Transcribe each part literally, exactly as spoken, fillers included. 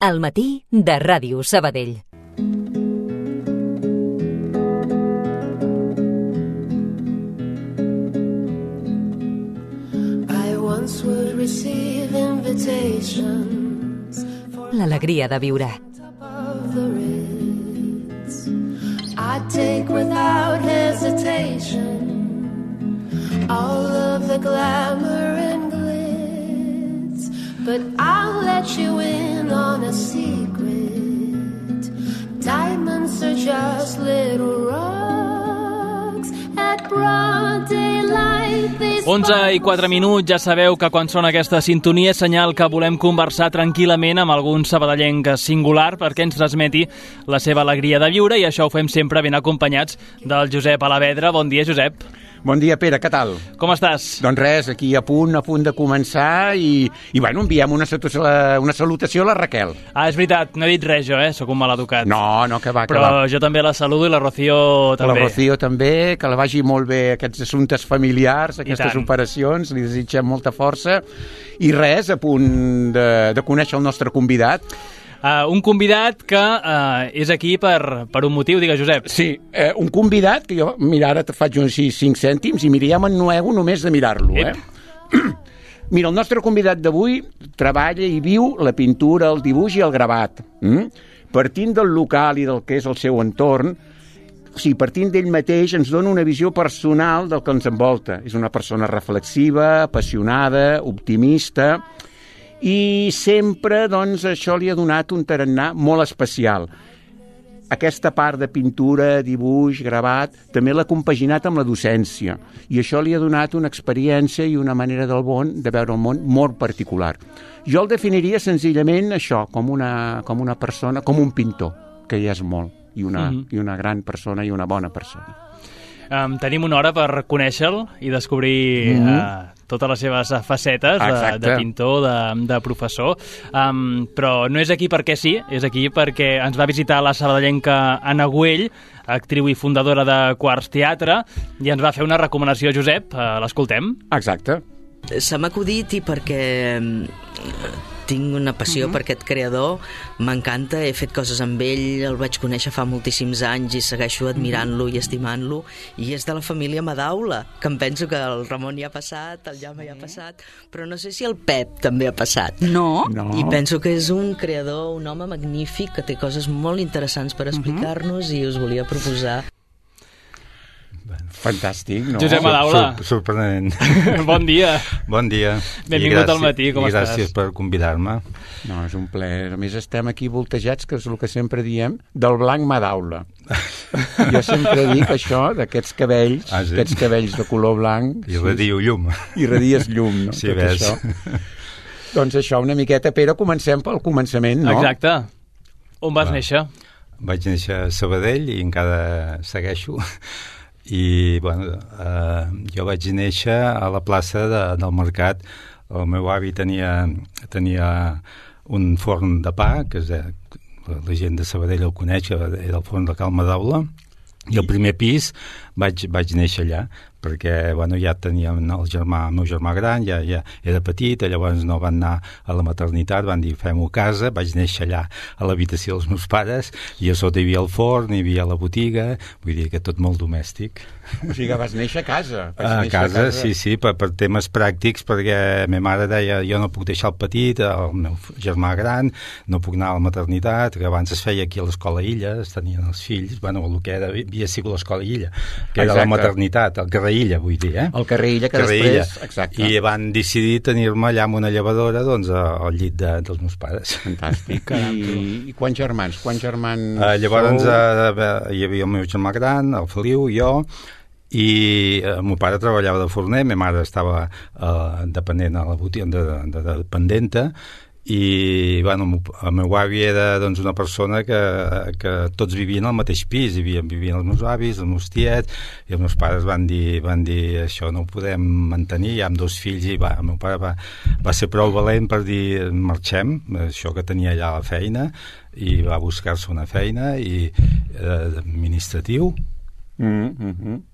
Al matí de Ràdio Sabadell. L'alegria de viure. I take without hesitation all of the glamour and glitz, but I'll let you in on a secret. Diamonds are just little rocks at broad daylight. onze i quatre minuts, ja sabeu que quan sona aquesta sintonia és senyal que volem conversar tranquil·lament amb algun sabadellenc singular perquè ens transmeti la seva alegria de viure, i això ho fem sempre ben acompanyats del Josep Alavedra. Bon dia, Josep. Bon dia, Pere, què tal? Com estàs? Doncs res, aquí a punt, a punt de començar i, i bueno, enviem una, una salutació a la Raquel. Ah, és veritat, no he dit res jo, eh? Sóc un maleducat. No, no, que va, que Però va. jo també la saludo i la Rocío també. La Rocío també, que la vagi molt bé aquests assumptes familiars, aquestes operacions, li desitgem molta força. I res, a punt de, de conèixer el nostre convidat. Uh, un convidat que uh, és aquí per, per un motiu, digues, Josep. Sí, eh, un convidat que jo, mira, ara te faig uns cinc cèntims i mira, ja m'ennuego només de mirar-lo, eh? Mira, el nostre convidat d'avui treballa i viu la pintura, el dibuix i el gravat. Mm? Partint del local i del que és el seu entorn, o sigui, partint d'ell mateix ens dona una visió personal del que ens envolta. És una persona reflexiva, apassionada, optimista, i sempre, doncs, això li ha donat un tarannà molt especial. Aquesta part de pintura, dibuix, gravat, també l'ha compaginat amb la docència, i això li ha donat una experiència i una manera del món, de veure el món, molt particular. Jo el definiria senzillament això, com una, com una persona, com un pintor, que ja és molt, i una, mm-hmm. i una gran persona i una bona persona. Um, tenim una hora per conèixer-lo i descobrir mm-hmm. uh, totes les seves facetes de, de pintor, de, de professor, um, però no és aquí perquè sí, és aquí perquè ens va visitar la sabadellenca Anna Güell, actriu i fundadora de Quarts Teatre, i ens va fer una recomanació, Josep. Uh, l'escoltem? Exacte. Se m'ha acudit i perquè tinc una passió uh-huh. per aquest creador, m'encanta, he fet coses amb ell, el vaig conèixer fa moltíssims anys i segueixo admirant-lo i estimant-lo, i és de la família Madaula, que em penso que el Ramon hi ha passat, el Jaume hi ha passat, però no sé si el Pep també ha passat. No? no. I penso que és un creador, un home magnífic, que té coses molt interessants per explicar-nos uh-huh. i us volia proposar. Fantàstic, no? Josep Madaula. Sur sorprenent. Bon dia. Bon dia. Benvingut al matí, com i estàs? Gràcies per convidar-me. No, és un plaer. A més, estem aquí voltejats, que és el que sempre diem, del blanc Madaula. Jo sempre dic això, d'aquests cabells, ah, sí? aquests cabells de color blanc. I redio llum. I redies llum, no? Sí, Tot ves. això. Doncs això, una miqueta, Pere, comencem pel començament, no? Exacte. On vas Va. néixer? Vaig néixer a Sabadell i encara segueixo. I bueno, eh, jo vaig néixer a la plaça de, del Mercat. El meu avi tenia, tenia un forn de pa, que és, la gent de Sabadell el coneix, era el forn de Cal Madaula, i al primer pis vaig, vaig néixer allà, perquè bueno, ja tenia el, germà, el meu germà gran, ja, ja era petit, llavors no van anar a la maternitat, van dir fem-ho a casa, vaig néixer allà a l'habitació dels meus pares, i a sota hi havia el forn, hi havia la botiga, vull dir que tot molt domèstic. O sigui que vas néixer a casa. A néixer casa, a casa, sí, sí, per, per temes pràctics, perquè la meva mare deia jo no puc deixar el petit, el meu germà gran, no puc anar a la maternitat, que abans es feia aquí a l'Escola Illa, es tenien els fills, bueno, el que era, havia sigut l'Escola Illa, que era Exacte. la maternitat, el carrer Illa, vull dir, eh? El carrer Illa, que carrer després... Illa. Exacte. I van decidir tenir-me allà amb una llevadora, doncs, al llit de, dels meus pares. Fantàstic. I, I quants germans? Quants germans uh, llavors uh, hi havia el meu germà gran, el Feliu, jo, i eh, el meu pare treballava de forner, ma mare estava eh, dependent a la botiga, de, de, de dependenta, i bueno, el meu avi era doncs, una persona que, que tots vivien al mateix pis, vivien, vivien els meus avis, els meus tiets, i els meus pares van dir, van dir això no ho podem mantenir, ja amb dos fills, i va, el meu pare va, va ser prou valent per dir marxem, això que tenia allà a la feina, i va buscar-se una feina i eh, administratiu, mm-hmm.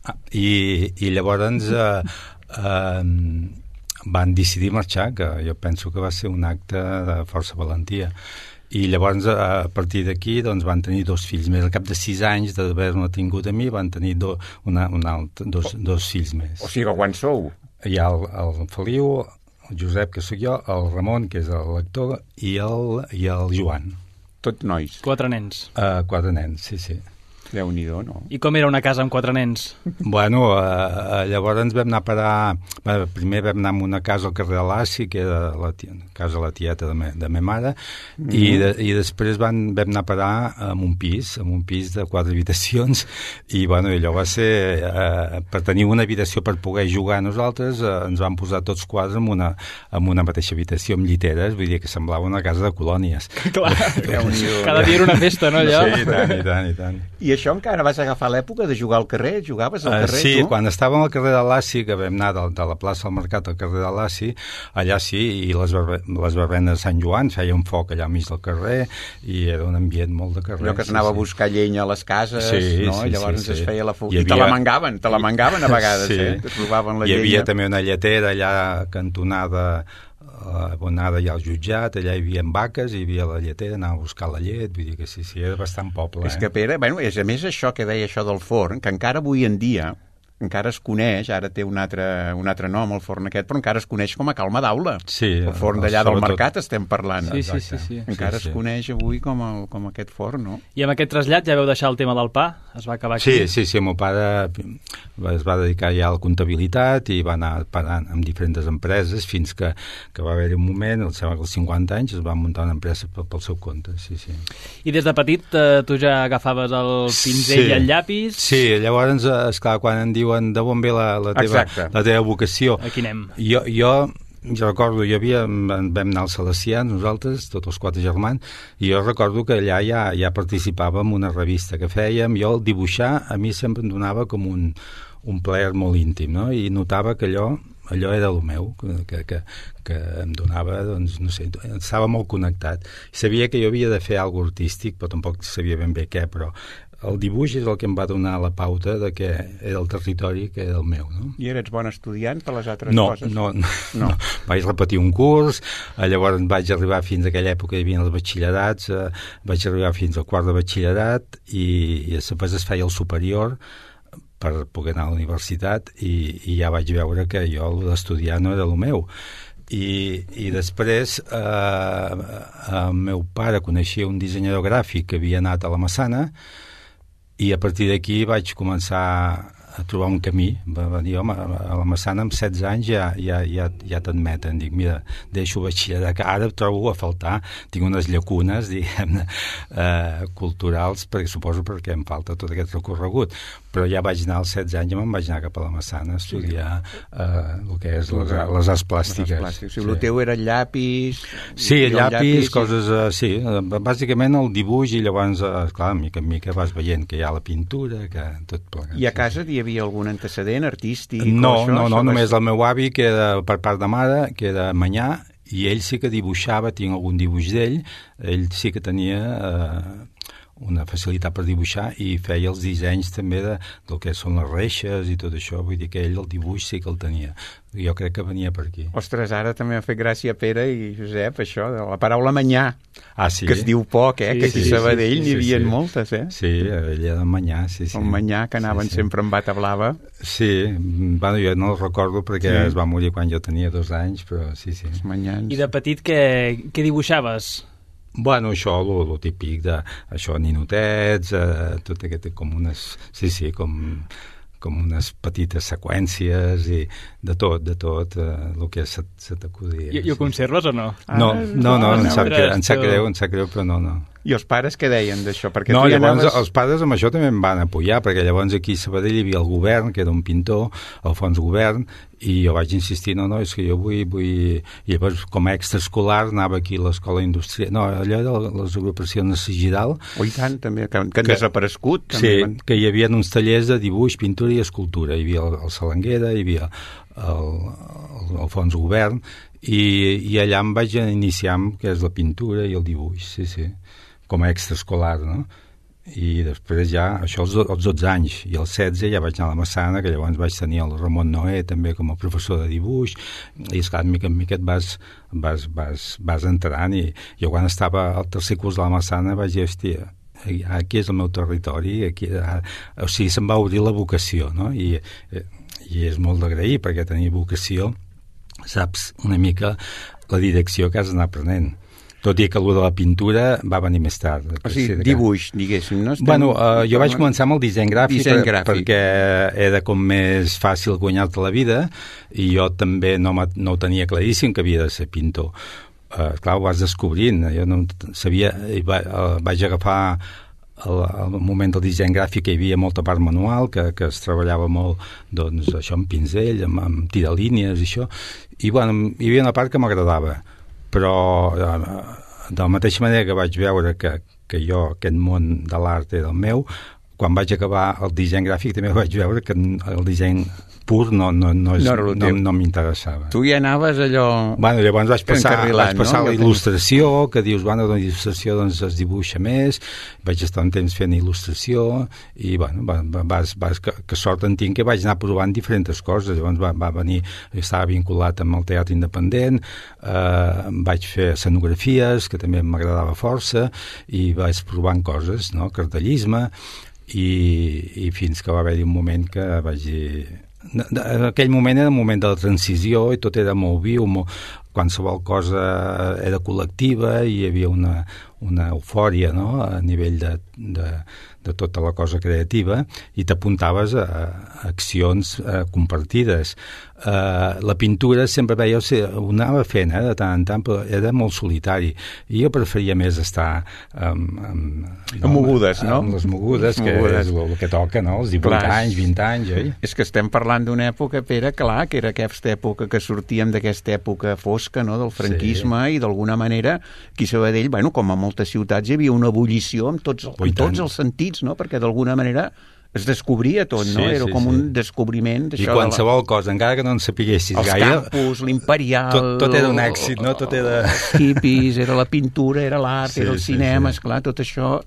ah, i, i llavors eh, eh, van decidir marxar, que jo penso que va ser un acte de força valentia, I llavors, a partir d'aquí, doncs, van tenir dos fills més. Al cap de sis anys d'haver-me tingut a mi, van tenir do, una, una altra, dos, dos fills més. O sigui, quan sou? Hi ha el, el Feliu, el Josep, que sóc jo, el Ramon, que és l'actor, i el, i el Joan. Tot nois? Quatre nens. Uh, quatre nens, sí, sí. Déu-n'hi-do, no? I com era una casa amb quatre nens? Bueno, uh, llavors ens vam anar a parar... Bueno, primer vam anar a una casa al carrer de l'Assi, que era la tia, casa de la tieta de, me, de ma mare, mm-hmm. i, de, i després van, vam anar a parar en un pis, en un pis de quatre habitacions, i bueno, allò va ser... Uh, per tenir una habitació per poder jugar nosaltres, uh, ens van posar tots quatre en una, en una mateixa habitació amb lliteres, vull dir que semblava una casa de colònies. Clar, cada dia era una festa, no, allò? Sí, i tant, i tant, i tant. I això encara vas agafar l'època de jugar al carrer? Jugaves al carrer, uh, sí, tu? Sí, quan estàvem al carrer de l'Assi, que vam anar de, de la plaça al Mercat al carrer de l'Assi, allà sí, i les, barbe, les barbenes de Sant Joan, feia un foc allà al mig del carrer, i era un ambient molt de carrer. Allò que s'anava sí, a buscar llenya a les cases, sí, no? Sí, I llavors sí, sí. es feia la foc. Havia... I te la mangaven, te la mangaven a vegades, sí. eh? Que trobaven la Hi llenya. havia també una lletera allà cantonada abonada ja al jutjat, allà hi havia vaques, hi havia la lletera, anava a buscar la llet, vull dir que sí, sí, era bastant poble. És eh? que, Pere, bueno, és a més això que deia això del forn, que encara avui en dia encara es coneix, ara té un altre, un altre nom el forn aquest, però encara es coneix com a Calma d'Aula. Sí, el forn d'allà del sobretot... mercat estem parlant. Sí, sí, sí, sí. Encara sí, sí. es coneix avui com, el, com aquest forn, no? I amb aquest trasllat ja veu deixar el tema del pa? Es va acabar aquí? Sí, sí, sí, el meu pare es va dedicar ja a la comptabilitat i va anar parant amb diferents empreses fins que, que va haver-hi un moment, el sembla que als cinquanta anys es va muntar una empresa pel, pel seu compte, sí, sí. I des de petit eh, tu ja agafaves el pinzell sí. i el llapis? Sí, llavors, esclar, quan em diuen de on ve la, la, teva, la teva vocació... Aquí anem. Jo, jo jo recordo, hi havia, vam anar als Salesians, nosaltres, tots els quatre germans, i jo recordo que allà ja, ja participava en una revista que fèiem, jo el dibuixar a mi sempre em donava com un, un plaer molt íntim, no? I notava que allò, allò era el meu, que, que, que em donava, doncs, no sé, estava molt connectat. Sabia que jo havia de fer alguna cosa artístic, però tampoc sabia ben bé què, però el dibuix és el que em va donar la pauta de que era el territori que era el meu, no? I eres bon estudiant per les altres no, coses? No, no, no. Vaig repetir un curs, llavors vaig arribar fins a aquella època, hi havia els batxillerats, eh, vaig arribar fins al quart de batxillerat i, i després es feia el superior per poder anar a la universitat i, i ja vaig veure que jo l'estudiar no era el meu. I, i després eh, el meu pare coneixia un dissenyador gràfic que havia anat a la Massana i a partir d'aquí vaig començar a trobar un camí. Va, va dir, home, a la Massana amb setze anys ja, ja, ja, ja t'admeten. Dic, mira, deixo batxillerat, que ara trobo a faltar, tinc unes llacunes, diguem-ne, eh, culturals, perquè suposo perquè em falta tot aquest recorregut. Però ja vaig anar als setze anys i me'n vaig anar cap a la Massana a estudiar eh, el que és les, les arts plàstiques. Les plàstiques. O sigui, el teu era llapis... Sí, llapis, llapis, coses... Uh, sí, bàsicament el dibuix i llavors, uh, clar, mica en mica vas veient que hi ha la pintura, que tot plegat. I a casa hi havia algun antecedent artístic? No, això, no, no, això només el meu avi, que era per part de mare, que era manyà, i ell sí que dibuixava, tinc algun dibuix d'ell, ell sí que tenia... Uh, una facilitat per dibuixar i feia els dissenys també de, del que són les reixes i tot això, vull dir que ell el dibuix sí que el tenia. Jo crec que venia per aquí. Ostres, ara també m'ha fet gràcia, Pere i Josep, això, de la paraula manyà, ah, sí? que es diu poc, eh? Sí, que aquí sí, a Sabadell sí, sí, n'hi havia sí. moltes, eh? Sí, ell era manyà, sí, sí. El manyà, que anaven sí, sí. sempre amb bata blava. Sí, bueno, jo no el recordo perquè sí. es va morir quan jo tenia dos anys, però sí, sí. Els manyans. I de petit què, què dibuixaves? Bueno, això, el típic de això, ninotets, eh, tot aquest, com unes, sí, sí, com, com unes petites seqüències i de tot, de tot, eh, el que se, se t'acudia. I, I ho sí. conserves o no? No, no, no, em sap, greu, em sap greu, em sap greu, però no, no. I els pares què deien d'això? Perquè no, tu ja llavors anaves... els pares amb això també em van apoyar, perquè llavors aquí a Sabadell hi havia el govern, que era un pintor, Alfons Govern, i jo vaig insistir, no, no, és que jo vull... vull... I llavors, com a extraescolar, anava aquí a l'escola industrial... No, allò de les agrupacions de Gidal... Oh, i tant, també, que, que han desaparegut. Sí, van... que hi havia uns tallers de dibuix, pintura i escultura. Hi havia el, el Salanguera, hi havia el, el, el Alfons Govern, i, i allà em vaig iniciar amb què és la pintura i el dibuix, sí, sí, com a extraescolar, no? i després ja, això als, als dotze anys, i als setze ja vaig anar a la Massana, que llavors vaig tenir el Ramon Noé també com a professor de dibuix, i esclar, mica en mica et vas, vas, vas, vas entrant, i jo quan estava al tercer curs de la Massana vaig dir, hòstia, aquí és el meu territori, aquí, o sigui, se'm va obrir la vocació, no? I, i és molt d'agrair, perquè tenir vocació saps una mica la direcció que has d'anar aprenent. Tot i que allò de la pintura va venir més tard. O sigui, dibuix, diguéssim, no? Estem... Bueno, uh, jo vaig començar amb el disseny gràfic, disseny per, gràfic perquè era com més fàcil guanyar-te la vida, i jo també no, no ho tenia claríssim que havia de ser pintor. Uh, clar, ho vas descobrint. Jo no sabia... Va, uh, vaig agafar al, al moment del disseny gràfic, que hi havia molta part manual, que, que es treballava molt, doncs, això amb pinzell, amb, amb tiralínies i això, i bueno, hi havia una part que m'agradava, però de la mateixa manera que vaig veure que, que jo, aquest món de l'art era el meu, quan vaig acabar el disseny gràfic també vaig veure que el disseny pur no, no, no, és, no, no, no m'interessava. Tu ja anaves allò... Bueno, llavors vaig passar, vaig passar no? a la il·lustració, que dius, bueno, la il·lustració doncs, es dibuixa més, vaig estar un temps fent il·lustració, i bueno, vas, vas, que, que sort en tinc que vaig anar provant diferents coses. Llavors va, va venir, estava vinculat amb el teatre independent, eh, vaig fer escenografies, que també m'agradava força, i vaig provant coses, no? Cartellisme, i, i fins que va haver-hi un moment que vaig dir... En aquell moment era un moment de la transició i tot era molt viu, molt, qualsevol cosa era col·lectiva i hi havia una, una eufòria, no? A nivell de, de, de tota la cosa creativa, i t'apuntaves a, a accions a, compartides. Uh, la pintura sempre veia, o sigui, ho anava fent eh, de tant en tant, però era molt solitari, i jo preferia més estar amb, amb, no, amb mogudes, no? Amb les mogudes, que mogudes. És el que toca, no? Els divuit clar, anys, vint anys, oi? És que estem parlant d'una època, Pere, clar, que era aquesta època que sortíem d'aquesta època fosca, no?, del franquisme, sí. I d'alguna manera aquí a Sabadell, bueno, com a moltes ciutats hi havia una ebullició amb tots, amb tots els sentits, no?, perquè d'alguna manera es descobria tot, no? Sí, era sí, com sí. Un descobriment d'això. I qualsevol de la... cosa, encara que no en sapiguessis els gaire... Els campus, l'imperial... Tot, tot era un èxit, no? Tot era... Els hippies, era la pintura, era l'art, sí, era el cinema, sí, sí. Esclar, tot això...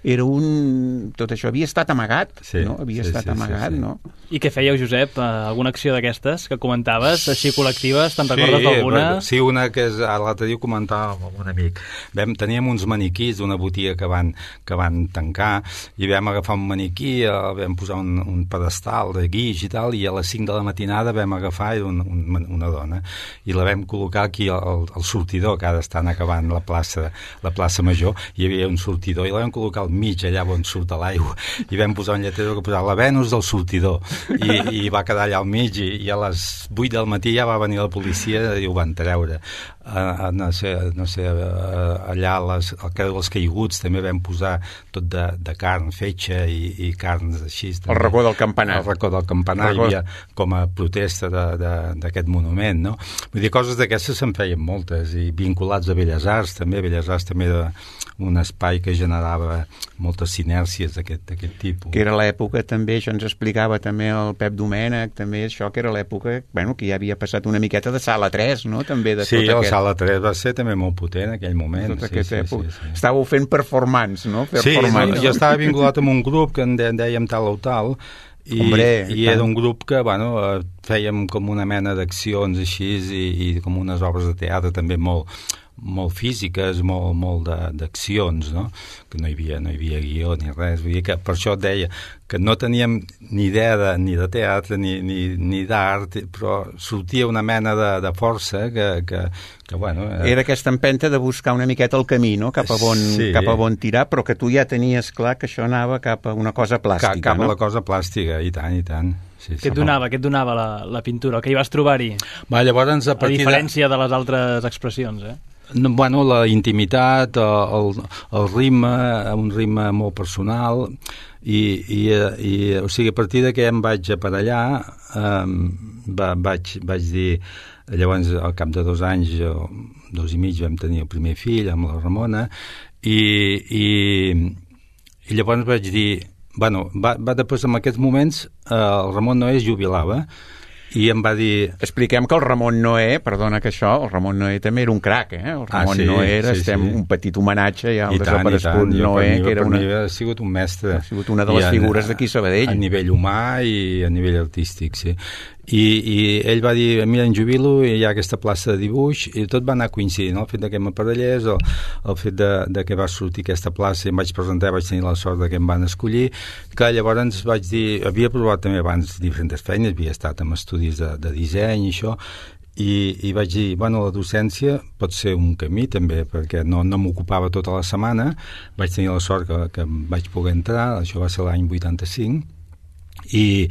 Era un... Tot això havia estat amagat, sí, no? Havia sí, estat sí, amagat, sí, sí. No? I què fèieu, Josep? Alguna acció d'aquestes que comentaves, així col·lectives? Te'n recordes sí, d'alguna? Sí, una que és... L'altre dia ho comentava amb un amic. Vam, teníem uns maniquís d'una botiga que van, que van tancar, i vam agafar un maniquí, el vam posar un, un pedestal de guix i tal, i a les cinc de la matinada vam agafar un, un, una dona, i la vam col·locar aquí al, al sortidor, que ara estan acabant la plaça, la plaça Major, hi havia un sortidor, i la vam col·locar al mig, allà on surt a l'aigua, i vam posar un lletrer que posava la Venus del sortidor, i, i va quedar allà al mig, i, i a les vuit del matí ja va venir la policia i ho van treure. Uh, no sé, no sé uh, allà les, al carrer dels Caiguts també vam posar tot de, de carn fetge i, i carns així. El racó del campanar. El racó del campanar hi havia com a protesta d'aquest monument, no? Vull dir, coses d'aquestes se'n feien moltes, i vinculats a Belles Arts també. Belles Arts també era un espai que generava moltes sinèrcies d'aquest tipus. Que era l'època també, això ens explicava també el Pep Domènech, també això que era l'època, bueno, que ja havia passat una miqueta de Sala tres, no? També de sí, tot aquest... Sala tres va ser també molt potent en aquell moment. Tota sí, sí, sí, sí. Estàveu fent performance, no? Performance. Sí, no? Jo estava vinculat amb un grup que en dèiem tal o tal, i, Hombre, i era un grup que, bueno, fèiem com una mena d'accions així, i, i com unes obres de teatre també molt molt físiques, molt, molt d'accions, no? Que no hi havia, no hi havia guió ni res. Vull dir que per això et deia que no teníem ni idea de, ni de teatre ni, ni, ni d'art, però sortia una mena de, de força que, que, que bueno... Eh... Era aquesta empenta de buscar una miqueta el camí, no? Cap a on, sí. cap a on tirar, però que tu ja tenies clar que això anava cap a una cosa plàstica, cap, cap no? a la cosa plàstica, i tant, i tant. Sí, què et donava, què et donava la, la pintura? Què hi vas trobar-hi? Va, llavors, a, a diferència de... de les altres expressions, eh? No, bueno, la intimitat, el, el ritme, un ritme molt personal, i, i, i o sigui, a partir de que em vaig aparellar, eh, va, vaig, vaig dir, llavors al cap de dos anys, o dos i mig, vam tenir el primer fill amb la Ramona, i, i, i llavors vaig dir, bueno, va, va després en aquests moments, eh, el Ramon Noé es jubilava, I em va dir... Expliquem que el Ramon Noé, perdona que això, el Ramon Noé també era un crac, eh? El Ramon ah, sí, Noé era, sí, estem sí. un petit homenatge ja al I tant, desaparegut i tant. Noé, mi, que era una... Per mi ha sigut un mestre. Ha sigut una de les I figures d'aquí Sabadell. A nivell humà i a nivell artístic, sí. I, i ell va dir, mira, en jubilo i hi ha aquesta plaça de dibuix, i tot va anar coincidint, el fet de que m'aparellés, el, el fet de, de que va sortir aquesta plaça i em vaig presentar, vaig tenir la sort de que em van escollir, que llavors vaig dir, havia provat també abans diferents feines, havia estat en estudis de, de disseny i això, i, i vaig dir, bueno, la docència pot ser un camí també, perquè no, no m'ocupava tota la setmana, vaig tenir la sort que, que vaig poder entrar, això va ser l'any vuitanta-cinc, i,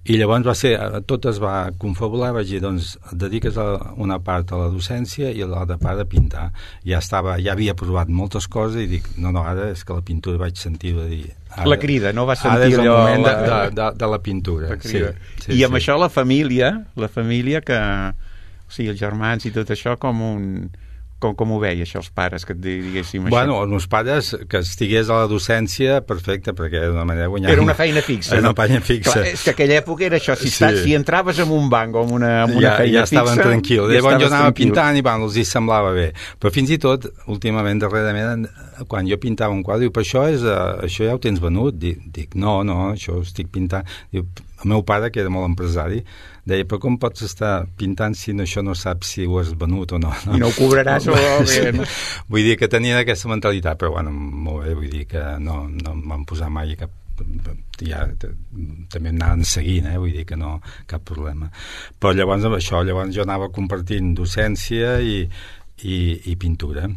i llavors va ser, tot es va confabular, vaig dir, doncs et dediques a una part a la docència i a l'altra part a pintar. Ja estava, ja havia provat moltes coses i dic, no, no, ara és que la pintura vaig sentir, va dir... Ara, la crida, no va sentir ara és el allò... moment la... de, de, de, de la pintura. La sí, sí, I amb sí. això la família, la família que... O sigui, els germans i tot això com un... Com, com ho veia això, els pares, que et diguéssim això? Bueno, els meus pares, que estigués a la docència, perfecte, perquè era una manera de guanyar... Era una feina fixa, era no? una feina fixa. Clar, és que aquella època era això, si, Sí. estàs, si entraves en un banc o en una, en una ja, feina ja estaven fixa... tranquils. Ja Llavors jo anava tranquil. pintant i bueno, els hi semblava bé. Però fins i tot, últimament, darrerament, quan jo pintava un quadre, diu, però això, és, uh, això ja ho tens venut? Dic, dic, no, no, això ho estic pintant. Diu, el meu pare, que era molt empresari, deia, però com pots estar pintant si no, això no saps si ho has venut o no? no? I no ho cobraràs o bé, no? Vull dir que tenien aquesta mentalitat, però bueno, molt bé, vull dir que no, no em van posar mai cap... ja també em anaven seguint, eh? Vull dir que no, cap problema. Però llavors amb això, llavors jo anava compartint docència i, i, i pintura.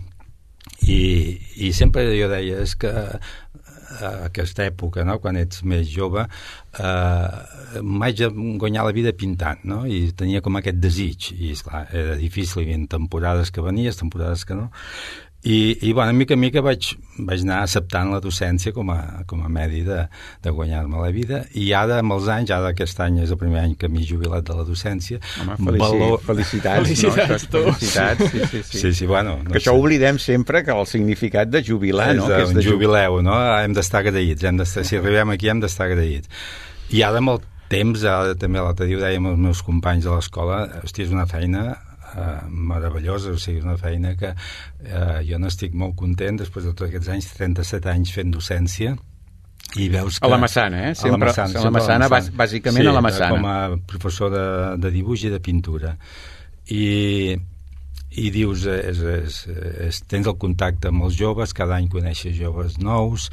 I, i sempre jo deia, és que a aquesta època, no? Quan ets més jove, eh, m'haig de guanyar la vida pintant, no? I tenia com aquest desig, i esclar, era difícil, hi havia temporades que venies, temporades que no, i, i bueno, mica en mica vaig, vaig anar acceptant la docència com a, com a medi de, de guanyar-me la vida, i ara amb els anys, ara aquest any és el primer any que m'he jubilat de la docència. Home, felici, valor... felicitats, felicitats, no? Felicitats, sí, sí, sí. Sí, sí, bueno, no que això sé. oblidem sempre, que el significat de jubilar, és no? Que és un de jubileu, no? Hem d'estar agraïts, hem d'estar, si arribem aquí hem d'estar agraïts. I ara amb el temps, ara també l'altre dia ho dèiem els meus companys de l'escola, hòstia, és una feina Uh, meravellosa, o sigui, una feina que uh, jo n'estic molt content després de tots aquests anys, trenta-set anys fent docència, i veus que... A la Massana, eh? Sempre, a la Massana, a la Massana, a la Massana. bàsicament sí, a la Massana. Com a professor de, de dibuix i de pintura. I, i dius, és, és, és, tens el contacte amb els joves, cada any coneixes joves nous,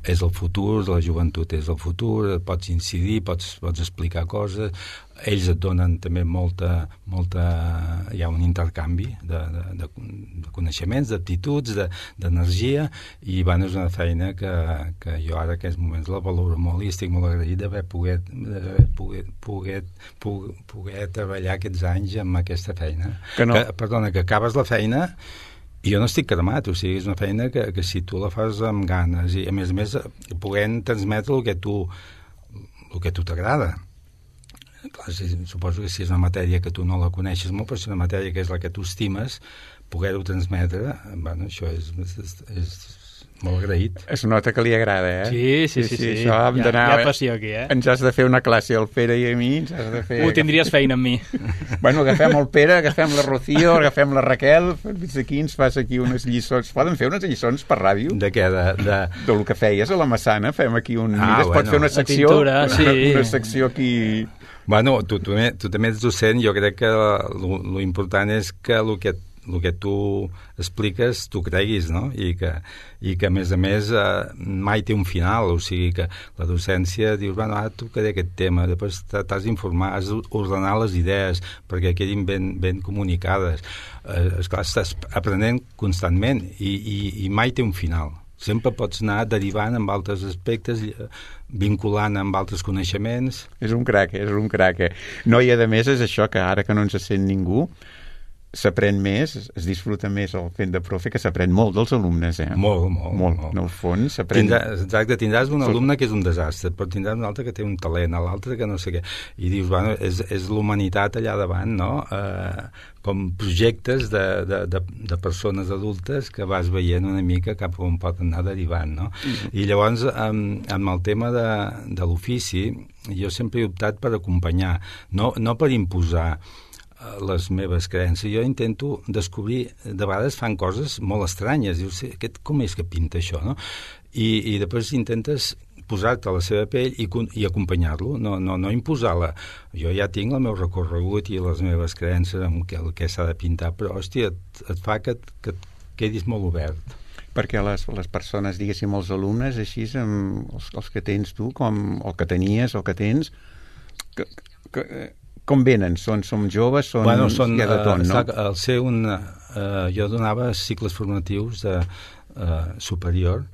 és el futur, la joventut és el futur, pots incidir, pots, pots explicar coses, ells et donen també molta, molta hi ha un intercanvi de, de, de, de coneixements, d'aptituds, d'energia, i bueno, és una feina que, que jo ara en aquests moments la valoro molt i estic molt agraït d'haver pogut, poder, poder, poder, poder treballar aquests anys amb aquesta feina. Que no. que, perdona, que acabes la feina i jo no estic cremat, o sigui, és una feina que, que si tu la fas amb ganes i a més a més puguem transmetre el que tu el que tu t'agrada. Clar, si, suposo que si és una matèria que tu no la coneixes molt, però si és una matèria que és la que tu estimes, poder-ho transmetre, bueno, això és, és, és molt agraït. Es nota que li agrada, eh? Sí, sí, sí. sí, sí. Això hem hi, ha, d'anar... hi ha passió aquí, eh? Ens has de fer una classe al Pere i a mi, ens has de fer... Ho tindries feina amb mi. Bueno, agafem el Pere, agafem la Rocío, agafem la Raquel, fins aquí ens fas aquí unes lliçons. Poden fer unes lliçons per ràdio? De què? De, de... Del que feies a la Massana, fem aquí un... Ah, Mira, es pot bueno. fer una secció, pintura, sí. una, una secció aquí... Bueno, tu, tu, tu també ets docent, jo crec que lo important és que el que el que tu expliques tu creguis, no? I que, i que a més a més eh, mai té un final, o sigui que la docència dius, bueno, ara tocaré aquest tema, després t'has d'informar, has d'ordenar les idees perquè quedin ben, ben comunicades. Eh, esclar, estàs aprenent constantment i, i, i mai té un final. Sempre pots anar derivant amb altres aspectes, vinculant amb altres coneixements. És un crac, és un crac. Eh? No, i a més és això, que ara que no ens sent ningú, s'aprèn més, es disfruta més el fent de profe, que s'aprèn molt dels alumnes, eh? Molt, molt. Molt, molt. en el fons s'aprèn... Tindrà, exacte, tindràs un alumne que és un desastre, però tindràs un altre que té un talent, l'altre que no sé què. I dius, bueno, és, és l'humanitat allà davant, no? Eh, com projectes de, de, de, de persones adultes que vas veient una mica cap on pot anar derivant, no? Mm-hmm. I llavors, amb, amb el tema de, de l'ofici, jo sempre he optat per acompanyar, no, no per imposar les meves creences. Jo intento descobrir, de vegades fan coses molt estranyes, dius, aquest, com és que pinta això, no? I, i després intentes posar-te a la seva pell i, i acompanyar-lo, no, no, no imposar-la. Jo ja tinc el meu recorregut i les meves creences amb el que, el que s'ha de pintar, però, hòstia, et, et fa que, que et quedis molt obert. Perquè les, les persones, diguéssim, els alumnes, així, amb els, els que tens tu, com el que tenies, el que tens, que, que, com venen? Són, som joves? Són, bueno, són, hi ha de tot, no? Al ser un... Uh, jo donava cicles formatius de uh, superior.